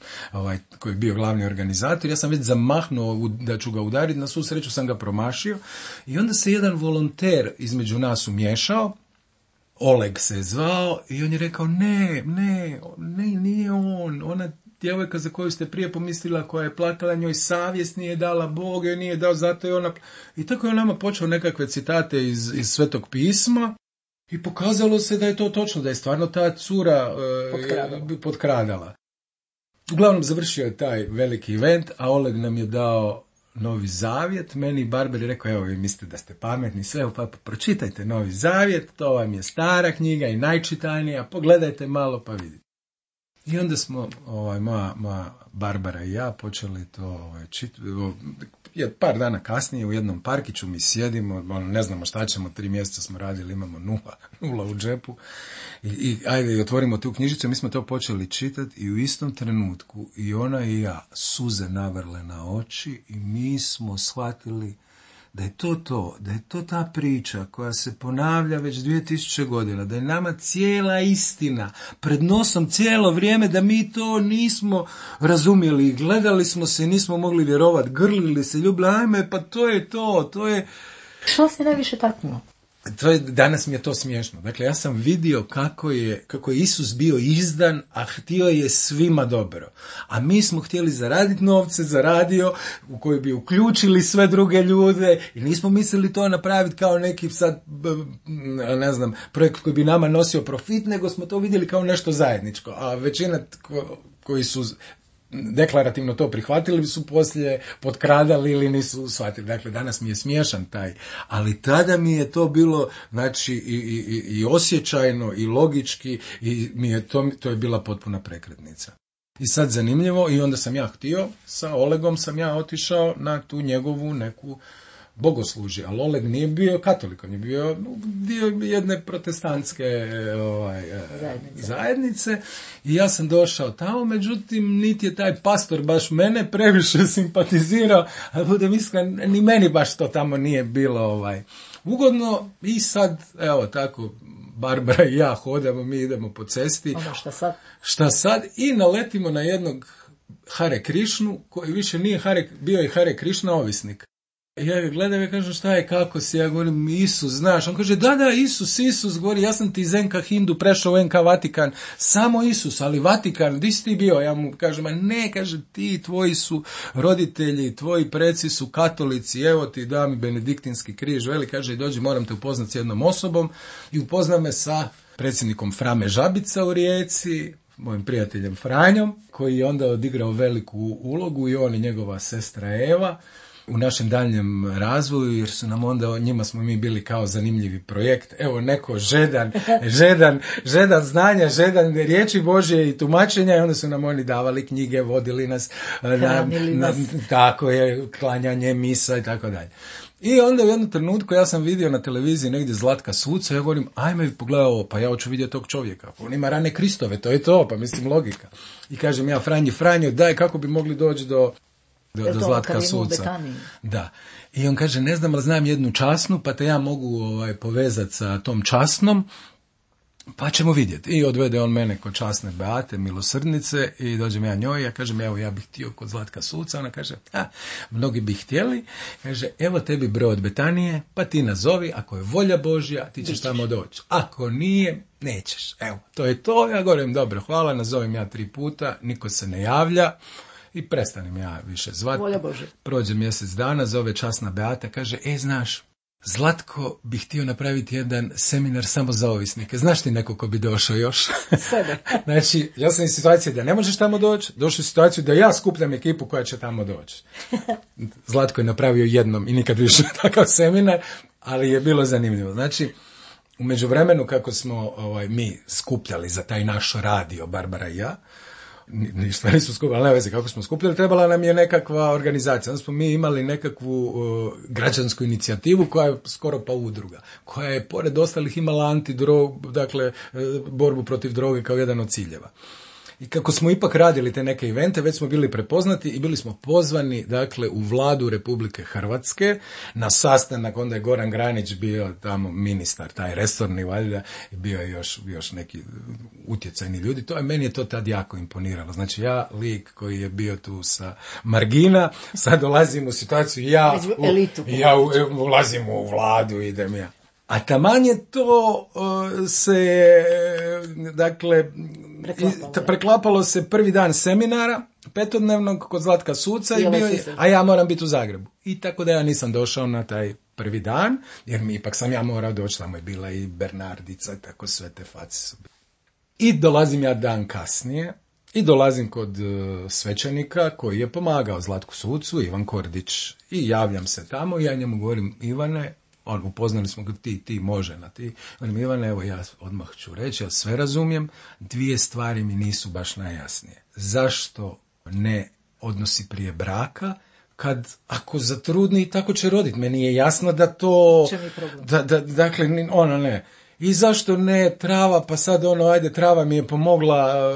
koji je bio glavni organizator, ja sam već zamahnuo da ću ga udariti, na svu sreću sam ga promašio i onda se jedan volonter između nas umiješao, Oleg se je zvao i on je rekao, ne, nije on, ona djevojka za koju ste prije pomislila, koja je plakala, njoj savjest nije dala, Bog joj nije dao, zato je ona... I tako je on nama počeo nekakve citate iz Svetog pisma i pokazalo se da je to točno, da je stvarno ta cura potkradala. Uglavnom završio je taj veliki event, a Oleg nam je dao Novi Zavjet, meni Barber je rekao, evo vi mislite da ste pametni, sve, pa pročitajte Novi Zavjet, to vam je stara knjiga i najčitanija, pogledajte malo pa vidite. I onda smo, moja Barbara i ja počeli to čitati. Par dana kasnije u jednom parkiću mi sjedimo, ne znamo šta ćemo, 3 mjeseca smo radili, imamo nula u džepu. I ajde, otvorimo tu knjižicu, mi smo to počeli čitati i u istom trenutku i ona i ja suze navrle na oči i mi smo shvatili da je to ta priča koja se ponavlja već 2000 godina, da je nama cijela istina pred nosom cijelo vrijeme, da mi to nismo razumjeli, gledali smo se, nismo mogli vjerovati, grlili se, ljubili, ajme, pa to je... Što si najviše taknuo? Danas mi je to smiješno. Dakle, ja sam vidio kako je Isus bio izdan, a htio je svima dobro. A mi smo htjeli zaraditi novce za radio u koji bi uključili sve druge ljude i nismo mislili to napraviti kao neki sad, ne znam, projekt koji bi nama nosio profit, nego smo to vidjeli kao nešto zajedničko. A većina koji su deklarativno to prihvatili su poslije potkradali ili nisu shvatili. Dakle, danas mi je smiješan taj, ali tada mi je to bilo, znači, i osjećajno i logički i to je bila potpuna prekretnica. I sad zanimljivo, i onda sam ja htio, sa Olegom sam ja otišao na tu njegovu neku bogoslužje, ali Oleg nije bio katolik, on je bio dio jedne protestantske zajednice i ja sam došao tamo, međutim niti je taj pastor baš mene previše simpatizirao, ali budem iskren, ni meni baš to tamo nije bilo ugodno i sad, evo tako, Barbara i ja hodamo, mi idemo po cesti. Šta sad? I naletimo na jednog Hare Krišnu, koji više nije bio je Hare Krišna ovisnik. Ja ga gledam i kažem, šta je, kako si? Ja govorim, Isus, znaš. On kaže, da, Isus, govori, ja sam ti iz NK Hindu prešao u NK Vatikan, samo Isus, ali Vatikan, gdje si ti bio? Ja mu kažem, ne, kaže, ti, tvoji su roditelji, tvoji preci su katolici, evo ti, da mi benediktinski križ, veli, kaže, dođi, moram te upoznat s jednom osobom, i upozna me sa predsjednikom Frame Žabica u Rijeci, mojim prijateljem Franjom, koji je onda odigrao veliku ulogu, i on i njegova sestra Eva, u našem daljnjem razvoju, jer su nam onda, njima smo mi bili kao zanimljivi projekt. Evo, neko žedan znanja, žedan riječi Božje i tumačenja, i onda su nam oni davali knjige, vodili nas, tako je, klanjanje, misa i tako dalje. I onda u jednom trenutku ja sam vidio na televiziji negdje Zlatka Suca, ja govorim, ajme pogledaj ovo, pa ja hoću vidjeti tog čovjeka, on ima rane Kristove, to je to, pa mislim logika. I kažem ja, Franjo, daj, kako bi mogli doći do Zlatka Suca. Da. I on kaže, ne znam, ali znam jednu časnu, pa te ja mogu povezati sa tom časnom, pa ćemo vidjeti. I odvede on mene kod časne Beate, milosrdnice, i dođem ja njoj, ja kažem, evo, ja bih htio kod Zlatka Suca. Ona kaže, mnogi bi htjeli. Kaže, evo tebi broj od Betanije, pa ti nazovi, ako je volja Božja, ti ćeš tamo doći. Ako nije, nećeš. Evo, to je to. Ja govorim, dobro, hvala, nazovem ja 3 puta, niko se ne javlja. I prestanem ja više zvati. Prođe mjesec dana, zove časna Beata, kaže, znaš, Zlatko bi htio napraviti jedan seminar samo za ovisnike. Znaš ti neko ko bi došao još? Znači, ja sam u situaciji da ne možeš tamo doći, došao u situaciju da ja skupljam ekipu koja će tamo doći. Zlatko je napravio jednom i nikad više takav seminar, ali je bilo zanimljivo. Znači, u međuvremenu kako smo mi skupljali za taj naš radio, Barbara i ja, ništa nisu skupili, ali ne veze kako smo skupljali, trebala nam je nekakva organizacija. Onda smo mi imali nekakvu građansku inicijativu koja je skoro pa udruga, koja je pored ostalih imala dakle, borbu protiv droge kao jedan od ciljeva. I kako smo ipak radili te neke evente, već smo bili prepoznati i bili smo pozvani, dakle, u Vladu Republike Hrvatske na sastanak. Onda je Goran Granić bio tamo ministar, taj resorni, valjda, i bio je još neki utjecajni ljudi. Meni je to tad jako imponiralo. Znači, ja, lik koji je bio tu sa margina, sad dolazim u situaciju, ja ulazim u Vladu, idem ja. A taman je to preklapalo se prvi dan seminara, 5-dnevnog kod Zlatka Suca, a ja moram biti u Zagrebu. I tako da ja nisam došao na taj prvi dan, jer ipak sam ja morao doći, tamo je bila i Bernardica, tako sve te face su bile. I dolazim ja dan kasnije, i dolazim kod svećenika koji je pomagao Zlatku Sucu, Ivan Kordić, i javljam se tamo i ja njemu govorim, Ivane, upoznali smo ga, ti može na ti. Ivane, evo ja odmah ću reći, ja sve razumijem, 2 stvari mi nisu baš najjasnije. Zašto ne odnosi prije braka, kad ako zatrudni tako će roditi? Meni je jasno da to... Dakle, ona ne. i zašto ne trava, pa sad ajde, trava mi je pomogla,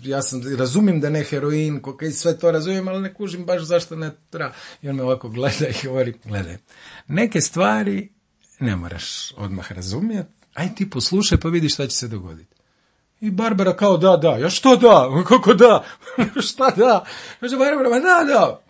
ja razumijem da ne heroin, i sve to razumijem, ali ne kužim baš zašto ne trava. I on me ovako gleda i govori, gledaj, neke stvari ne moraš odmah razumjeti, aj ti poslušaj pa vidi šta će se dogoditi. I Barbara kao da, ja što da, kako da, šta da, kaže Barbara, da,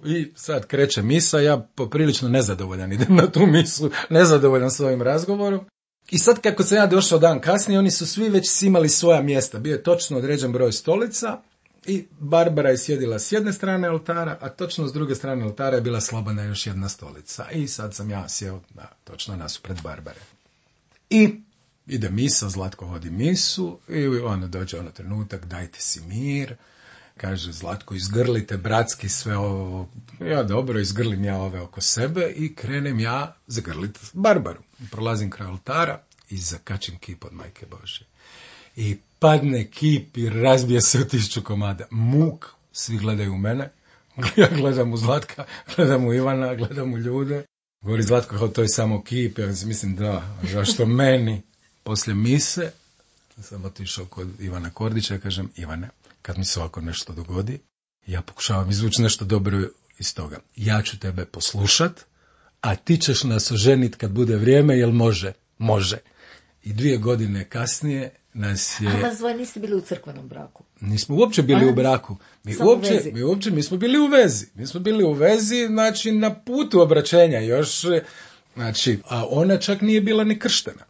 i sad kreće misa, ja poprilično nezadovoljan idem na tu misu, nezadovoljan svojim razgovorom. I sad kako sam ja došao dan kasnije, oni su svi već imali svoja mjesta, bio je točno određen broj stolica i Barbara je sjedila s jedne strane oltara, a točno s druge strane oltara je bila slobodna još jedna stolica. I sad sam ja sjeo točno nasuprot Barbare. I ide misa, Zlatko vodi misu i dođe trenutak, dajte si mir, kaže Zlatko, izgrlite bratski sve ovo, ja dobro, izgrlim ja ove oko sebe i krenem ja zagrliti Barbaru. Prolazim kraj oltara i zakačim kip od Majke Božje. I padne kip i razbije se u 1000 komada. Muk, svi gledaju u mene, ja gledam u Zlatka, gledam u Ivana, gledam u ljude. Govori Zlatko, to je samo kip, ja mislim da, zašto meni? Poslije mise sam otišao kod Ivana Kordića i kažem, Ivane, kad mi se ovako nešto dogodi, ja pokušavam izvući nešto dobro iz toga. Ja ću tebe poslušat, a ti ćeš nas oženiti kad bude vrijeme, jel može? Može. I 2 godine kasnije nas je... A vas dvoje niste bili u crkvenom braku? Nismo uopće bili u braku. Mi smo bili u vezi. Mi smo bili u vezi, znači na putu obraćenja još, znači, a ona čak nije bila ni krštena.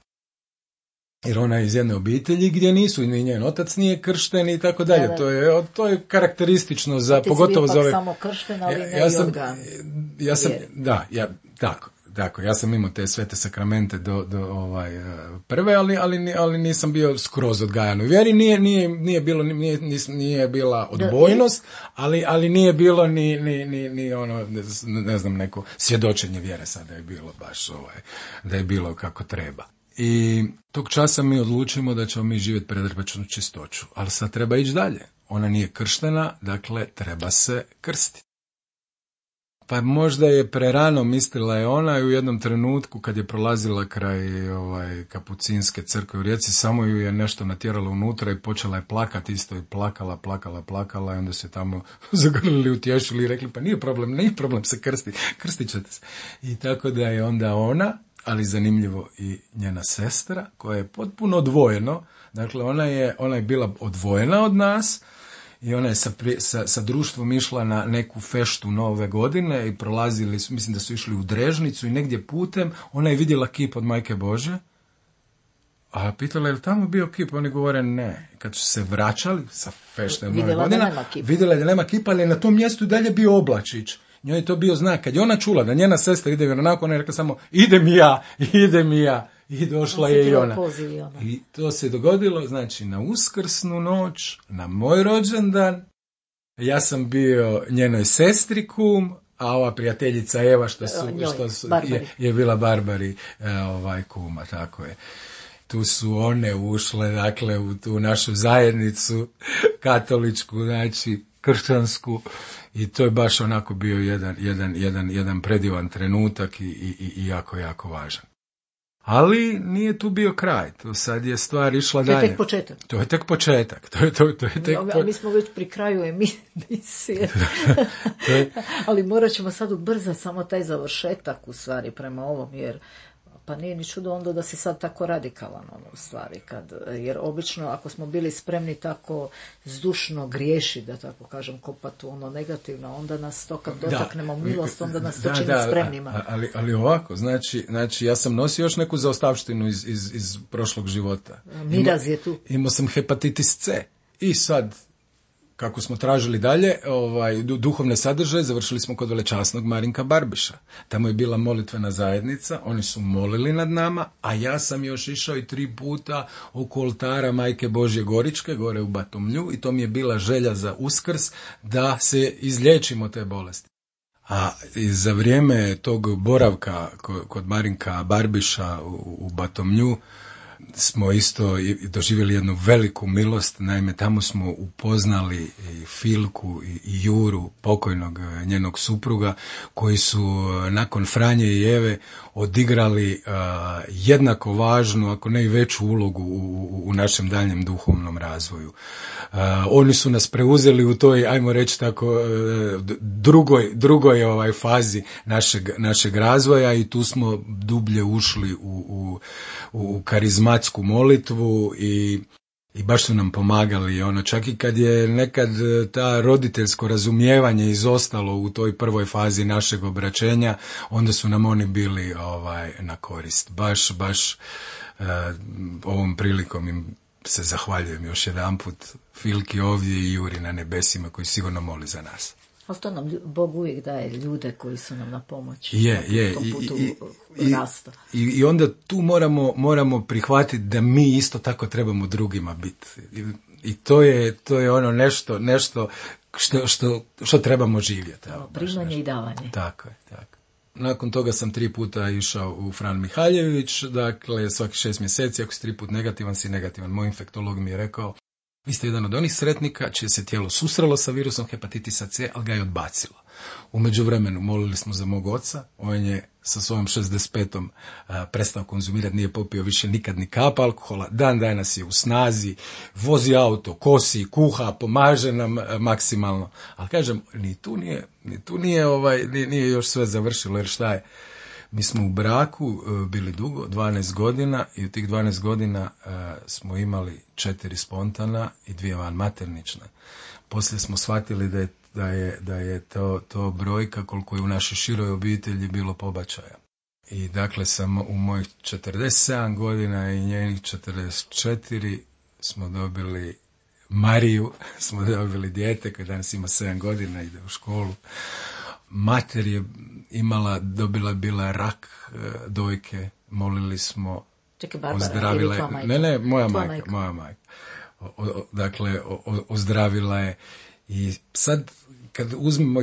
Jer ona je iz jedne obitelji gdje nisu, ni njen otac nije kršten i tako dalje. To je karakteristično za, pogotovo za ove... samo kršten, ali ne i organ. Tako, ja sam imao te svete sakramente do prve, ali nisam bio skroz odgajan u vjeri. Nije bila odbojnost, ali nije bilo ni ono, ne znam, neko svjedočenje vjere sad da je bilo baš da je bilo kako treba. I tog časa mi odlučimo da ćemo mi živjeti predrbačnu čistoću, ali sad treba ići dalje. Ona nije krštena, dakle treba se krstiti. Pa možda je prerano, mislila je ona, i u jednom trenutku kad je prolazila kraj Kapucinske crkve u Rijeci, samo ju je nešto natjeralo unutra i počela je plakati isto i plakala i onda se tamo zagrlili, utješili i rekli, pa nije problem se krstit ćete se. I tako da je onda ona, ali zanimljivo i njena sestra, koja je potpuno odvojeno, dakle ona je bila odvojena od nas i ona je sa društvom išla na neku feštu Nove godine i prolazili su, mislim da su išli u Drežnicu i negdje putem, ona je vidjela kip od Majke Božje, a pitala je li tamo bio kip, oni govore ne. Kad su se vraćali sa fešte Nove godine, vidjela je da nema kipa, ali je na tom mjestu dalje bio oblačić. Njoj je to bio znak. Kad je ona čula da njena sestra ide vjeronauku, ona je rekla samo idem i ja. I došla je i ona. I to se dogodilo, znači, na Uskrsnu noć, na moj rođendan. Ja sam bio njenoj sestri kum, a ova prijateljica Eva je bila Barbari kuma, tako je. Tu su one ušle, dakle, u tu našu zajednicu katoličku, znači, kršćansku, i to je baš onako bio jedan predivan trenutak i jako, jako važan. Ali nije tu bio kraj, to sad je stvar išla dalje. To je tek početak. Mi smo već pri kraju emisije. Ali morat ćemo sad ubrzati samo taj završetak u stvari prema ovom, jer pa nije ni čudo onda da si sad tako radikalan u stvari, jer obično ako smo bili spremni tako zdušno griješi, da tako kažem, kopati ono negativno, onda nas to kad dotaknemo milost, onda nas to čini spremnima. Ali ovako, znači ja sam nosio još neku zaostavštinu iz prošlog života. Miraz je tu. Imao sam hepatitis C i sad, kako smo tražili dalje, duhovne sadržaje, završili smo kod velečasnog Marinka Barbiša. Tamo je bila molitvena zajednica, oni su molili nad nama, a ja sam još išao i 3 puta oko oltara Majke Božje Goričke, gore u Batomlju, i to mi je bila želja za Uskrs da se izliječimo te bolesti. A za vrijeme tog boravka kod Marinka Barbiša u Batomlju, smo isto doživjeli jednu veliku milost. Naime, tamo smo upoznali i Filku i Juru, pokojnog njenog supruga, koji su nakon Franje i Eve odigrali jednako važnu, ako ne i veću ulogu u našem daljem duhovnom razvoju. Oni su nas preuzeli u toj, ajmo reći tako, drugoj fazi našeg razvoja i tu smo dublje ušli u karizmatsku molitvu i baš su nam pomagali. Čak i kad je nekad ta roditeljsko razumijevanje izostalo u toj prvoj fazi našeg obraćenja, onda su nam oni bili na korist. Baš ovom prilikom im se zahvaljujem još jedanput, Filki ovdje i Juri na nebesima koji sigurno moli za nas. Ali to nam Bog uvijek daje ljude koji su nam na pomoć. Je. U tom putu rasta. I onda tu moramo prihvatiti da mi isto tako trebamo drugima biti. I to je ono nešto što trebamo živjeti. Primanje i davanje. Tako je. Nakon toga sam 3 puta išao u Fran Mihaljević, dakle svaki 6 mjeseci, ako si 3 put negativan, si negativan. Moj infektolog mi je rekao, vi ste jedan od onih sretnika čije se tijelo susrelo sa virusom hepatitisa C, ali ga je odbacilo. U međuvremenu molili smo za mog oca, on je sa svojom 65. prestao konzumirati, nije popio više nikad ni kap alkohola, dan danas je u snazi, vozi auto, kosi, kuha, pomaže nam maksimalno. Ali kažem, ni tu nije još sve završilo, jer šta je? Mi smo u braku bili dugo, 12 godina i u tih 12 godina smo imali 4 spontana i 2 vanmaternične. Poslije smo shvatili da je to brojka koliko je u našoj široj obitelji bilo pobačaja. I dakle sam u mojih 47 godina i njenih 44 smo dobili Mariju, smo dobili dijete koje danas ima 7 godina, ide u školu. Mater je bila rak dojke, molili smo, ozdravila je. Ne, moja majka. Dakle, ozdravila je. I sad,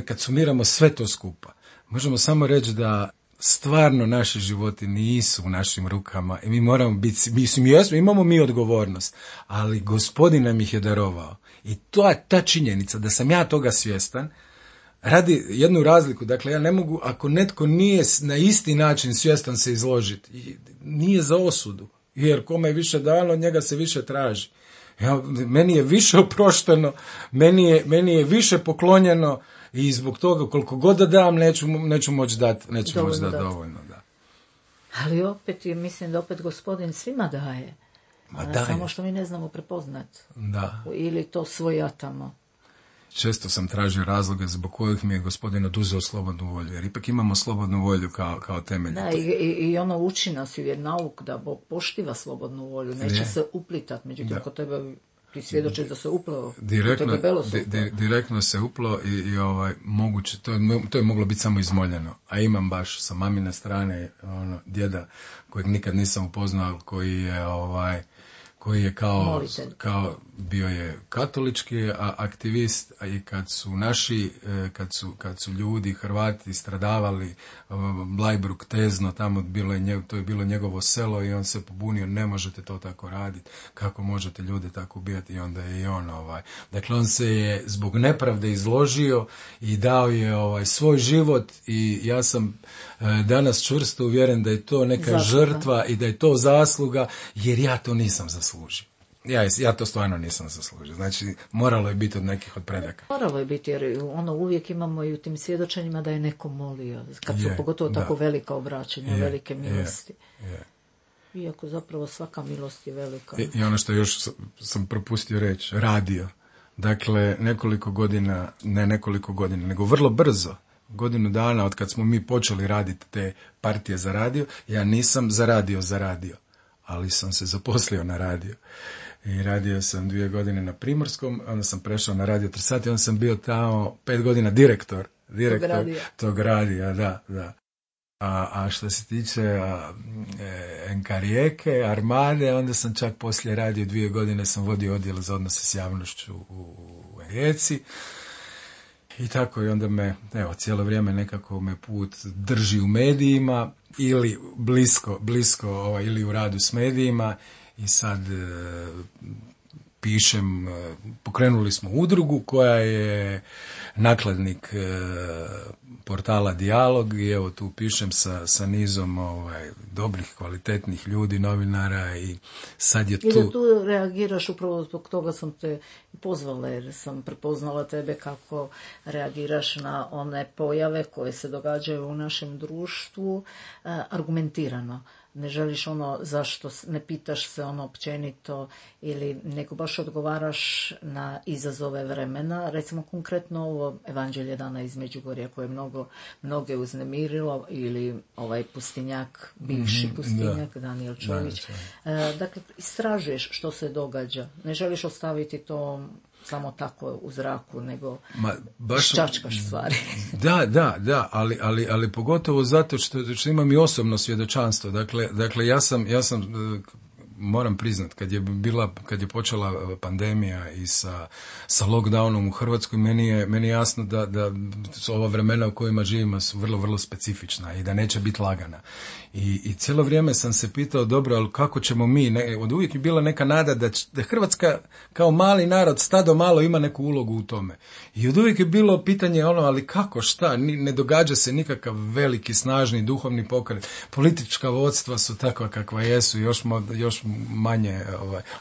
kad sumiramo sve to skupa, možemo samo reći da stvarno naši životi nisu u našim rukama i mi moramo biti, imamo mi odgovornost, ali Gospodin nam ih je darovao. I ta činjenica da sam ja toga svjestan, radi jednu razliku. Dakle, ja ne mogu, ako netko nije na isti način svjestan se izložiti, nije za osudu, jer kome je više dano, od njega se više traži. Meni je više oprošteno, meni je više poklonjeno i zbog toga koliko god da dam, neću moći dati dovoljno. Da. Ali opet, mislim da opet Gospodin svima daje. Samo što mi ne znamo prepoznati. Da. Ili to svojatamo. Često sam tražio razloge zbog kojih mi je Gospodin oduzeo slobodnu volju, jer ipak imamo slobodnu volju kao temelj. Da, i ono uči nas je nauk da Bog poštiva slobodnu volju, neće se uplitati, međutim ako tebe ti svjedočiš da se uplao, direktno se uplao i moguće, to je moglo biti samo izmoljeno, a imam baš sa mamine strane djeda kojeg nikad nisam upoznao, koji je kao bio je katolički aktivist, a i kad su ljudi, Hrvati stradavali, Bleiburg, Tezno, tamo to je bilo njegovo selo i on se pobunio, ne možete to tako raditi, kako možete ljude tako ubijati, i onda je i on Dakle, on se je zbog nepravde izložio i dao je svoj život i ja sam danas čvrsto uvjeren da je to neka žrtva i da je to zasluga, jer ja to nisam zaslužio. Ja to stvarno nisam zaslužio. Znači, moralo je biti od nekih od predaka. Moralo je biti, jer uvijek imamo i u tim svjedočenjima da je neko molio. Kad su pogotovo tako velika obraćanja, velike milosti. Iako zapravo svaka milost je velika. I ono što još sam propustio reći, radio. Dakle, nekoliko godina, nego vrlo brzo, godinu dana od kad smo mi počeli raditi te partije za radio, ja nisam zaradio, ali sam se zaposlio na radio. I radio sam 2 godine na Primorskom, onda sam prešao na Radio Trsat i onda sam bio tamo 5 godina direktor tog radija, da. A što se tiče NK Rijeke, Armade, onda sam čak poslije radio 2 godine, sam vodio odjel za odnose s javnošću u Rijeci. I tako, i onda cijelo vrijeme nekako me put drži u medijima ili blisko ili u radu s medijima, i sad pišem, pokrenuli smo udrugu koja je nakladnik portala Dijalog i evo tu pišem sa nizom dobrih, kvalitetnih ljudi, novinara i sad je tu... I da tu reagiraš, upravo zbog toga sam te pozvala jer sam prepoznala tebe kako reagiraš na one pojave koje se događaju u našem društvu argumentirano. Ne želiš zašto, ne pitaš se općenito ili nego baš odgovaraš na izazove vremena. Recimo konkretno ovo Evanđelje dana iz Međugorja koje je mnoge uznemirilo ili ovaj pustinjak, bivši pustinjak, Danijel Čović. Dakle, istražuješ što se događa. Ne želiš ostaviti to samo tako u zraku, nego čačkaš stvari. Da, ali pogotovo zato što imam i osobno svjedočanstvo. Dakle, ja sam moram priznat, kad je počela pandemija i sa lockdownom u Hrvatskoj, meni je jasno da su ova vremena u kojima živimo su vrlo, vrlo specifična i da neće biti lagana. I cijelo vrijeme sam se pitao, dobro, ali kako ćemo mi, od uvijek je bila neka nada da Hrvatska kao mali narod, stado malo, ima neku ulogu u tome. I od uvijek je bilo pitanje ali kako, šta, ne događa se nikakav veliki, snažni, duhovni pokret. Politička vodstva su takva kakva jesu, još manje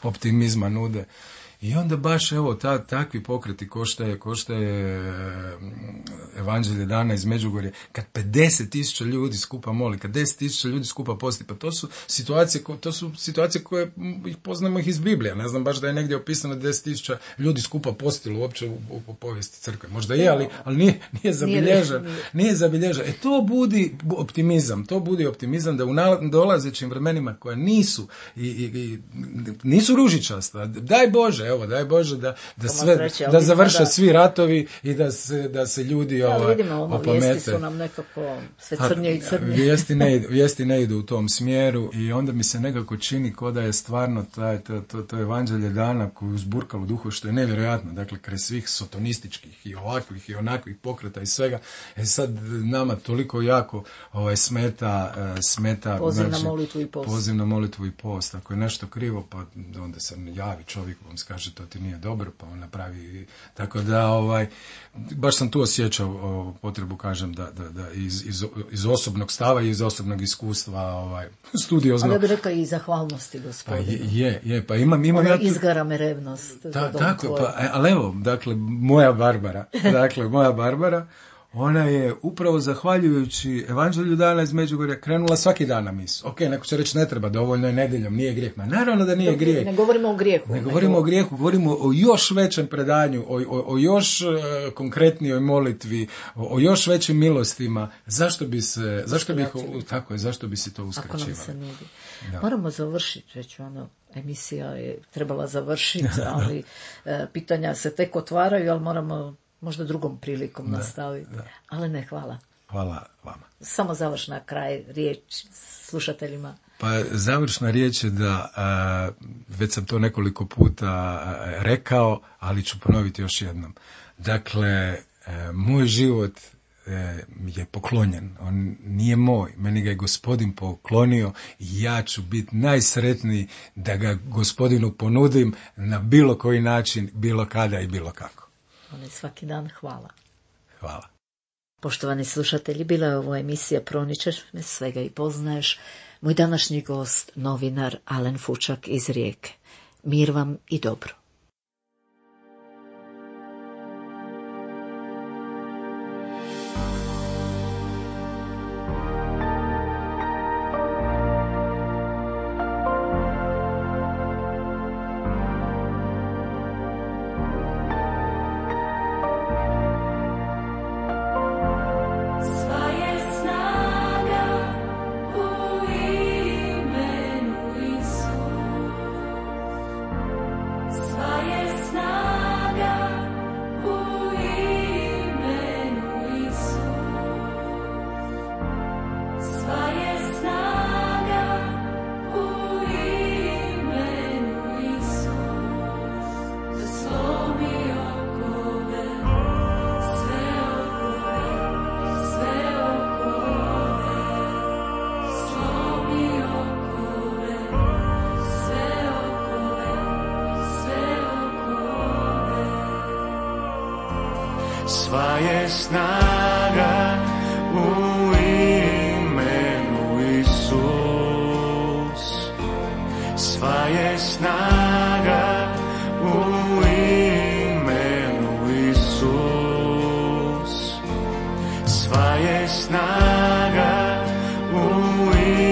optimizma nude. I onda baš takvi pokreti ko što je Evanđelje dana iz Međugorja, kad 50.000 ljudi skupa moli, kad 10.000 ljudi skupa posti, pa to su situacije koje poznamo ih iz Biblije. Ne znam baš da je negdje opisano 10.000 ljudi skupa postilo uopće u povijesti crkve. Možda je, ali nije zabilježeno. Nije zabilježeno. To budi optimizam da u dolazećim vremenima koja nisu ružičasta. Daj Bože da završe svi ratovi i da se ljudi opamete. Vijesti su nam nekako sve crnje i crnje. Vijesti ne idu u tom smjeru i onda mi se nekako čini ko da je stvarno to Evanđelje dana koju uzburkalo duhu, što je nevjerojatno. Dakle, kraj svih sotonističkih i ovakvih i onakvih pokreta i svega. Sad nama toliko jako smeta poziv na molitvu i post. Ako je nešto krivo, pa onda se javi čovjek, vam kaže to ti nije dobro, pa on napravi. Tako da baš sam tu osjećao potrebu, kažem, da iz osobnog stava i iz osobnog iskustva studiozno. Ali ja bih rekao i zahvalnosti, gospodine. Pa imam ja... Izgara me revnost. Tako, ali evo, dakle, moja Barbara, ona je upravo zahvaljujući Evanđelju dana iz Međugorja krenula svaki dan na misu. Ok, neko će reći ne treba, dovoljno je nedjeljom, nije grijeh. Ma naravno da nije grijeh. Ne govorimo o grijehu. Ne govorimo o grijehu, govorimo o još većem predanju, o još konkretnijoj molitvi, o još većim milostima. Zašto bi se to uskraćivalo? Ako nam se nudi. Moramo završiti već emisija je trebala završiti, ali pitanja se tek otvaraju, ali moramo možda drugom prilikom nastaviti. Ali ne, hvala. Hvala vama. Samo završna kraj riječ slušateljima. Pa završna riječ je da, već sam to nekoliko puta rekao, ali ću ponoviti još jednom. Dakle, moj život je poklonjen. On nije moj. Meni ga je Gospodin poklonio i ja ću biti najsretniji da ga Gospodinu ponudim na bilo koji način, bilo kada i bilo kako. Svaki dan hvala. Hvala. Poštovani slušatelji, bila je ovo emisija Proničeš me svega i poznaješ. Moj današnji gost, novinar Alen Fučak iz Rijeke. Mir vam i dobro. Sva sva je snaga u imenu Isus, sva je snaga u imenu Isus, sva je snaga u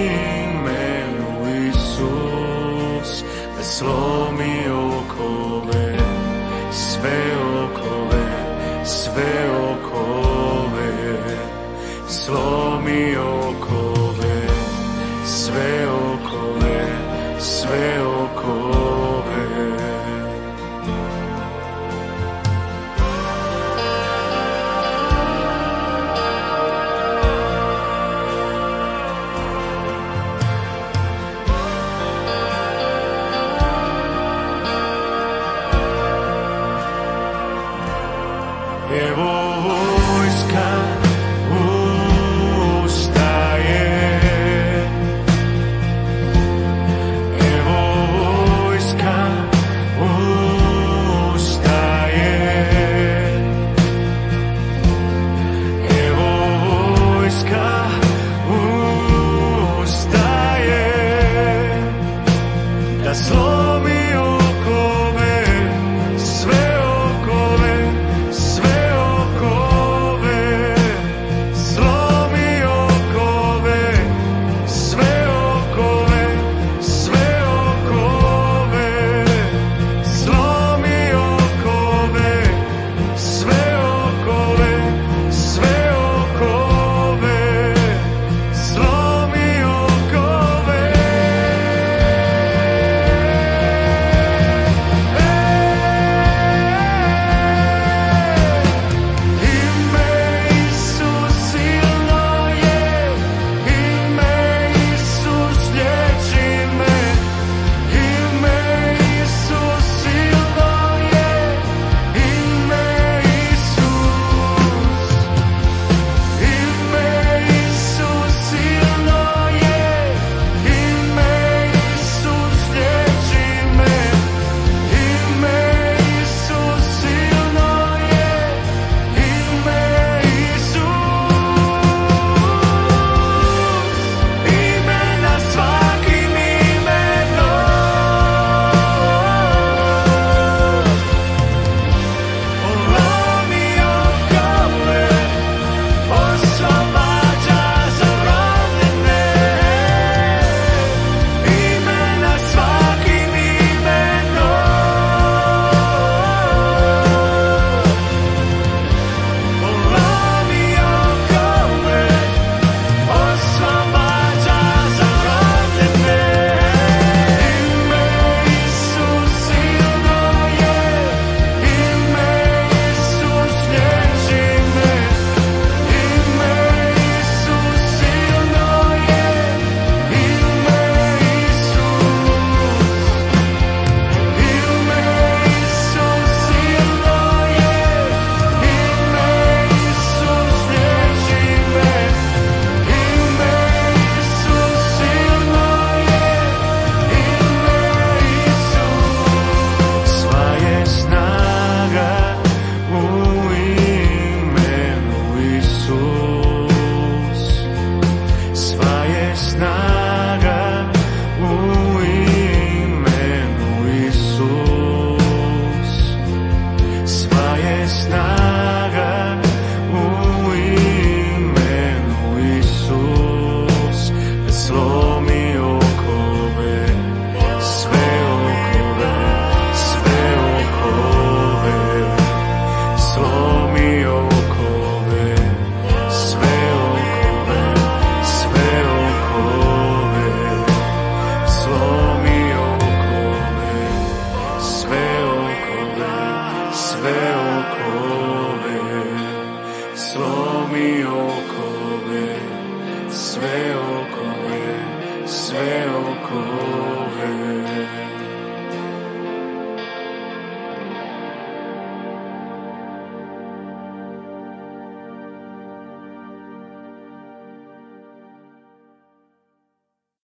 imenu Isus, da slomi okove, sve okove, sve okove, slomi okove.